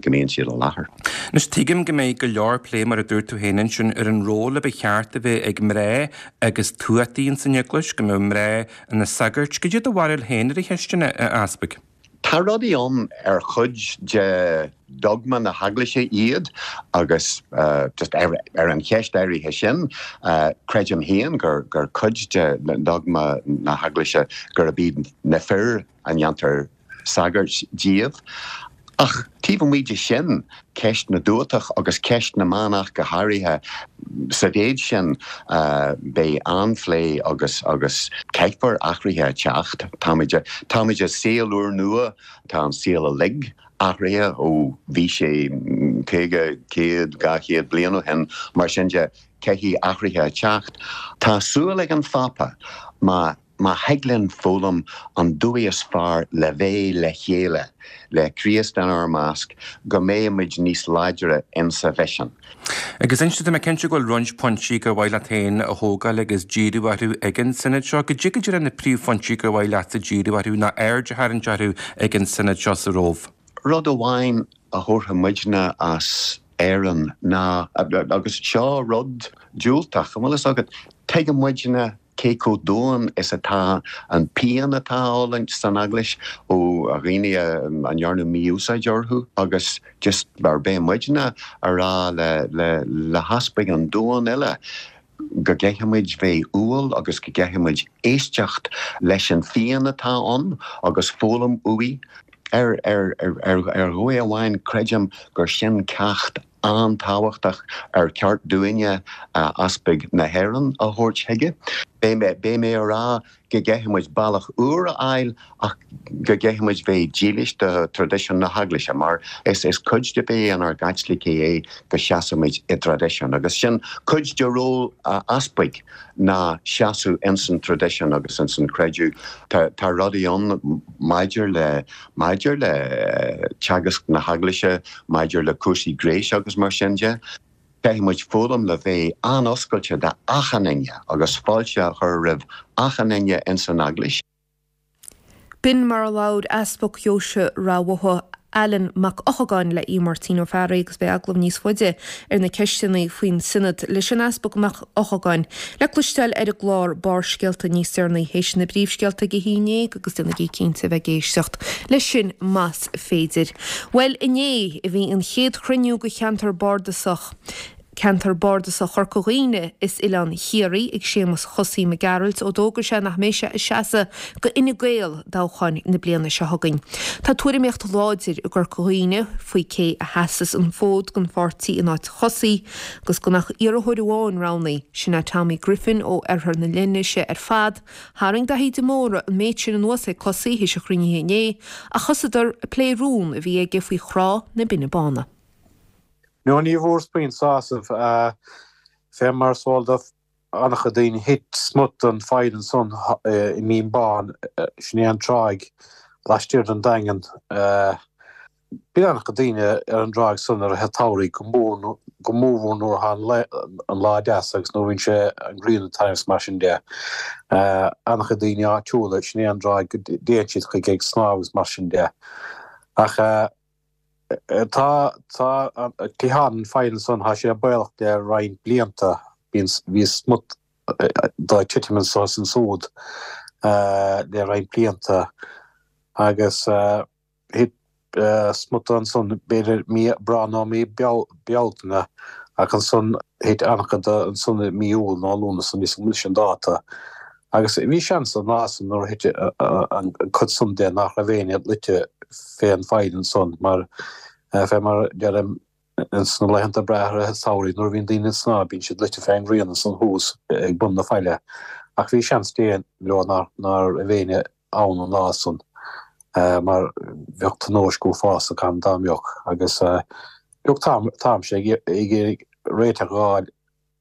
go mbíonn siad i láthair. Anois tuigim go mbeidh go leor plé, mar a dúirt tú féin ansin, ar an ról a ba cheart a bheith ag mná agus tuataí ins an Eaglais, go mbeadh mná ina sagairt. Cad é do bharúil féin ar an cheist sin, a Easpaig? Tá rudaí ann ar chuid de dogma na hEaglaise iad agus just ar an cheist áirithe sin, creidim féin gur cuid de dogma na hEaglaise gurb iad na fir a ndéantar sagairt díobh. Ach taobh amuigh de sin, ceist na dtuatach agus ceist na mban ach go háirithe, sa mhéid sin, beidh an-phlé agus agus caithfear athruithe a teacht. Táimid táimid i saol úrnua, tá an saol uilig athraithe ó bhí sé caoga, céad, dhá chéad bliain ó shin, mar sin de, caithfidh athruithe a teacht. Tá súil ag an Phápa má Má thig linn foghlaim an dóigh is fearr le bheith le chéile, le Críost inár measc, go mbeidh muid níos láidre insa mhisean. Agus inis, tá mé cinnte go bhfuil roinnt pointí gur mhaith leat féin a thógáil agus díriú orthu ag an Sionad seo. Cad é go díreach na príomhphointí gur mhaith leatsa díriú orthu nó aird a tharraingt orthu ag an Sionad seo sa Róimh? Rud amháin a thabharfaidh muidne as Éirinn ná, agus seo rud diúltach, an bhfuil fhios agat, tuigeann muidne cé chomh domhain is atá an pian atá á fhulaingt san Eaglais ó dhaoine a ndearnadh mí-úsáid orthu agus just mar beidh muidne a rá le le heaspaig an domhain uile go gcaithfidh muid bheith umhal agus go gcaithfidh muid éisteacht leis an phian atá ann agus foghlaim uaidh. Ar ar ar dhóigh amháin creidim gur sin ceacht an-tábhachtach ar cheart dúinne easpaig na hÉireann a thabhairt chuige. Beidh mé a rá go gcaithfidh muid bealach úr a fháil ach go gcaithfidh muid bheith dílis do thraidisiún na hEaglaise mar is cuid de bheith inár gCaitlicigh é go seasaimid i dtraidisiún agus sin cuid de ról easpaig ná seasamh ins an traidisiún agus ins an creideamh. Tá rudaí ann maidir le maidir le teagasc na hEaglaise, maidir le cúrsaí gnéis agus mar sin de. Caithfidh muid foghlaim le bheith an-oscailte d'achan duine agus fáilte a chur roimh achan duine ins an Eaglais. B'in mar a labhair Easpag Dheoise Ráth Bhotha, Alan Mac Eochagáin le Aodh Máirtín Ó Fearraigh agus beidh agallamh níos faide ar na ceisteanna faoin Sionad leis an Easpag Mac Eochagáin le cloisteáil ar an gclár Barrscéalta níos deireanaí théis na bpríomhscéalta ag a haon déag agus déanaigí cinnte a bheith ag éisteacht leis sin más féidir. Bhuel inné a bhí an chéad chruinniú de cheantar bardasach. Ceantar Bardasach Chorca Dhuibhne is Oileán Chiarraí ag Séamus Chosaí Mac Gearailt ó d'fhógair sé nach mbeidh sé ag seasamh do Fhine Gael i dtoghchán na bliana seo chugainn. Tá tuairimíocht láidir i gCorca Dhuibhne faoi cé a sheasas an fód don pháirtí in áit Chosaí agus gan ach iarrthóir amháin roghnaithe, sin é Tommy Griffin ó Oirthear na Leithnise ar fad. Tharraing Daithí de Mórdha an méid sin anuas ag Cosaí théis an chruinnithe inné ach thosaíodar ag plé rún a bhí aige faoi Thrá na Binne Báine. No ní bhfuaireas puinn sásamh fé mar is eol do an-chuid daoine. Thit smut den pholl ansan i mBinn Bán, sin é an tráigh laistiar den Daingean. Bíonn an-chuid daoine ar an dtráigh san i rith an tsamhraidh, go mór go mórmhór nuair atá an lá deas agus nuair a bhíonn sé an ghrian ag taitneamh is mar sin de. An-chuid daoine áitiúla, sin é an dtráigh go dtéann siad chuige ag snámh agus mar sin de. Ach. Tá tá cliathán an phoill ansan, tá sé baolach le roinnt blianta. Bíonn bhí smut de ag titim anso is ansúd le roinnt blianta agus thit smut de ansan b'fhéidir mí Aibreán nó mí Bealtaine ach ansan thit an-chuid de ansan i mí Iúil nó Lúnasa, níl 'fhios agam anois an dáta. Agus bhí seans an lá san nuair a thit an cuid san de nach raibh éinne luite fén pholl ansan mar fé mar deirim ins na laethanta breátha i rith an tsamhraidh nuair a bhíonn daoine ag snámh bíonn siad luite fén ngrian ansan thuas ag bun na faille ach bhí seans dé leo ná raibh éinne ann an lá san mar bheadh tionóisc uafásach ann dá mbeadh agus look táimse ag iarraidh réiteach a dh'fháil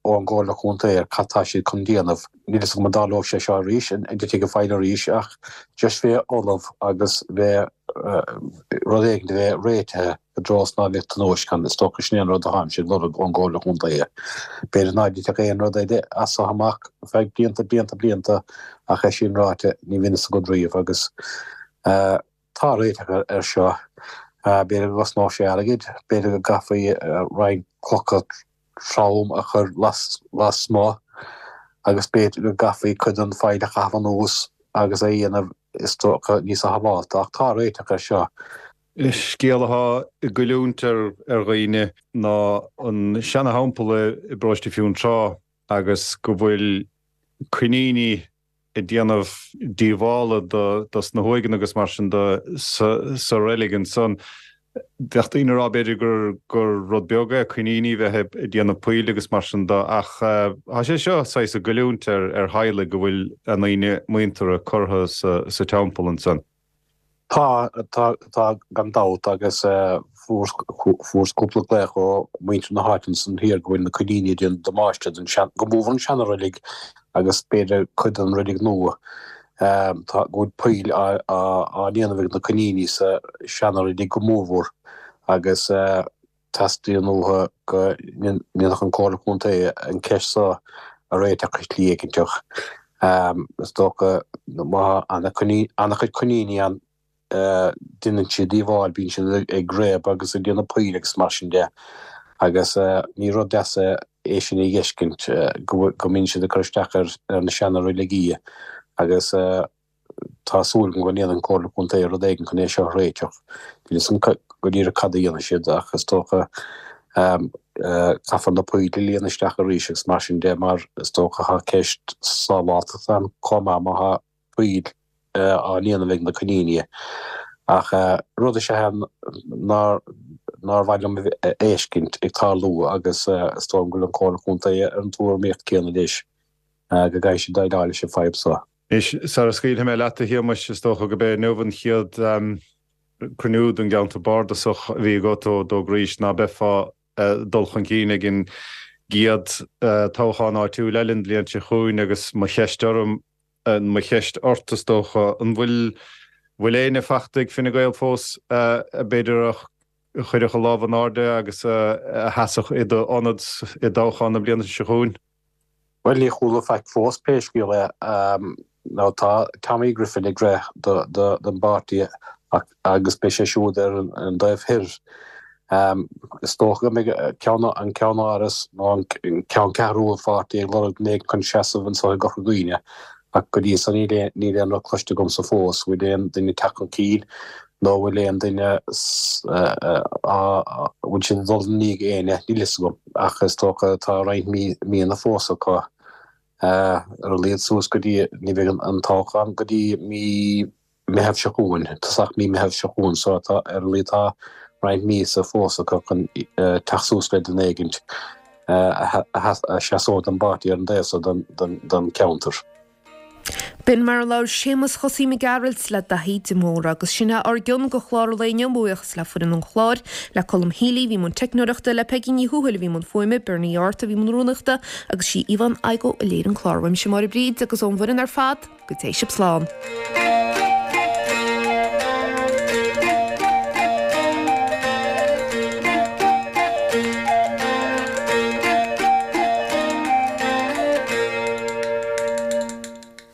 ón gComhairle Contae ar cad tá siad chun déanamh. Níl fhios agam an dtarlóidh sé seo arís, an dtitfidh an pholl arís, ach just bheith ullamh agus bheith rud éigin a bheith réitithe i dtreo is ná bheadh tionóisc ann. Is dócha sin é an rud atáimse ag lorg ón gComhairle Contae. B'fhéidir ná dtitfeadh aon rud eile as so amach feadh blianta, blianta, blianta ach é sin ráite ní bhíonn fhios agat riamh agus tá réiteach air seo. B'fhéidir go gcosnódh sé airgead, b'fhéidir go gcaithfí roinnt clocha trom a chur lasmuigh agus b'fhéidir go gcaithfí cuid den pholl a chaitheamh anuas agus é a dhéanamh is dócha níos sábháilte ach tá réiteach air seo. Scéal atá ag goilliúint ar dhaoine ná an seana-theampall i bparóiste Fionntrá agus go bhfuil coiníní ag déanamh díobhála dos na huaigheanna agus mar sin de sa reilig ansan. Bheadh daoine ag rá b'fhéidir gur gur rud beag é coiníní bheith ag déanamh poill agus mar sin de ach tá sé seo saghas ag goilliúint ar ar theaghlaigh go bhfuil a ndaoine muinteartha curtha sa sa teampall ansan. Tá, tá, tá gan dabht agus fuaireas fuaireas cúpla glaoch ó mhuintir na háite ansan thiar go bhfuil na coiníní ag déanamh damáiste don sean, go mór mhór an seana-reilig agus b'fhéidir cuid den reilig nua. Tá, go bhfuil poill á á ndéanamh ag na coiníní sa seana-reilig go mórmhór agus teastaíonn uathu go ndéanfadh an Comhairle Contae an ceist seo a réiteach i slí éiginteach. Is dócha má tá an-chuid coiníní ann déanann siad díobháil, bíonn siad ag réabadh agus ag déanamh poill agus mar sin de agus ní rud deas é sin a dh'fheiscint go mbíonn siad ag cur isteach ar na seana-reiligí agus tá súil agam go ndéanfaidh an Comhairle Contae rud éigin chun é seo a réiteach. Níl fhios agam go díreach cad a dhéanfaidh siad ach is dócha caithfear na poill a líonadh isteach arís agus mar sin de mar is dócha tá ceist sábháilteachta ann chomh maith má tá poill á ndéanamh ag na coiníní. Ach rud is ea é nár nár mhaith liom a fheiscint ag tarlú agus is dóigh liom go bhfuil an Comhairle Contae ar an tuairimíocht céanna leis go gcaithfidh siad déileáil leis an fadhb seo. Anois, sara scaoilfidh mé leat, a Shéamais, is dócha go b'é inniu an chéad cruinniú don gceantar bardasach a bhí agat ó d'fhógraís ná beifeá ag dul chun cinn ag an gcéad toghchán áitiúil eile an bhliain seo chugainn agus mo cheist orm, mo cheist ort is dócha, an bhfuil bhfuil éinne fachta ag Fine Gael fós b'fhéidir a chuirfeadh a lámh in airde agus a sheasfadh i d'ionad i dtoghchán na bliana seo chugainn? Bhuel, ní chuala faic fós, pé scéal é. Now tá Tommy Griffin ag rith don bpáirtí agus beidh sé siúd ar an dtaobh thoir. Is dócha go mbeidh ceann an ceannáras nó an ceanncheathrú an pháirtí ag lorg duine éigin chun seasamh anseo i gCorca Dhuibhne ach go dtí so níl níl aon rud cloiste agamsa fós. Bhfuil aon duine ag teacht chun cinn nó bhfuil aon duine bhfuil siad ag dul i ndiaidh éinne? Níl fhios agam ach is dócha tá roinnt míonna fós acu ar a laghad suas go dtí ní bheidh an toghchán go dtí mí Meitheamh seo chugainn, tosach mí Meitheamh seo chugainn, so tá ar a laghad tá roinnt míosa fós acu chun teacht suas le duine éigint a sheasóidh don bpáirtí ar an dtaobh so den cheantar. B'in mar a labhair Séamus Chosaí Mac Gearailt le Daithí de Mórdha agus sin é ár gcion go chlár an lae inniu. Buíochas le foireann an chláir, le Colm Healy a bhí i mbun teicneoireachta, le Peigí Ní Thuathail a bhí i mbun fuaime, Bernie Art a bhí i mbun rúnaíochta agus sí Yvonne Igoe a léirigh an clár. Uaimse Máire Bríd agus ón bhfoireann ar fad, go dté sibh slán.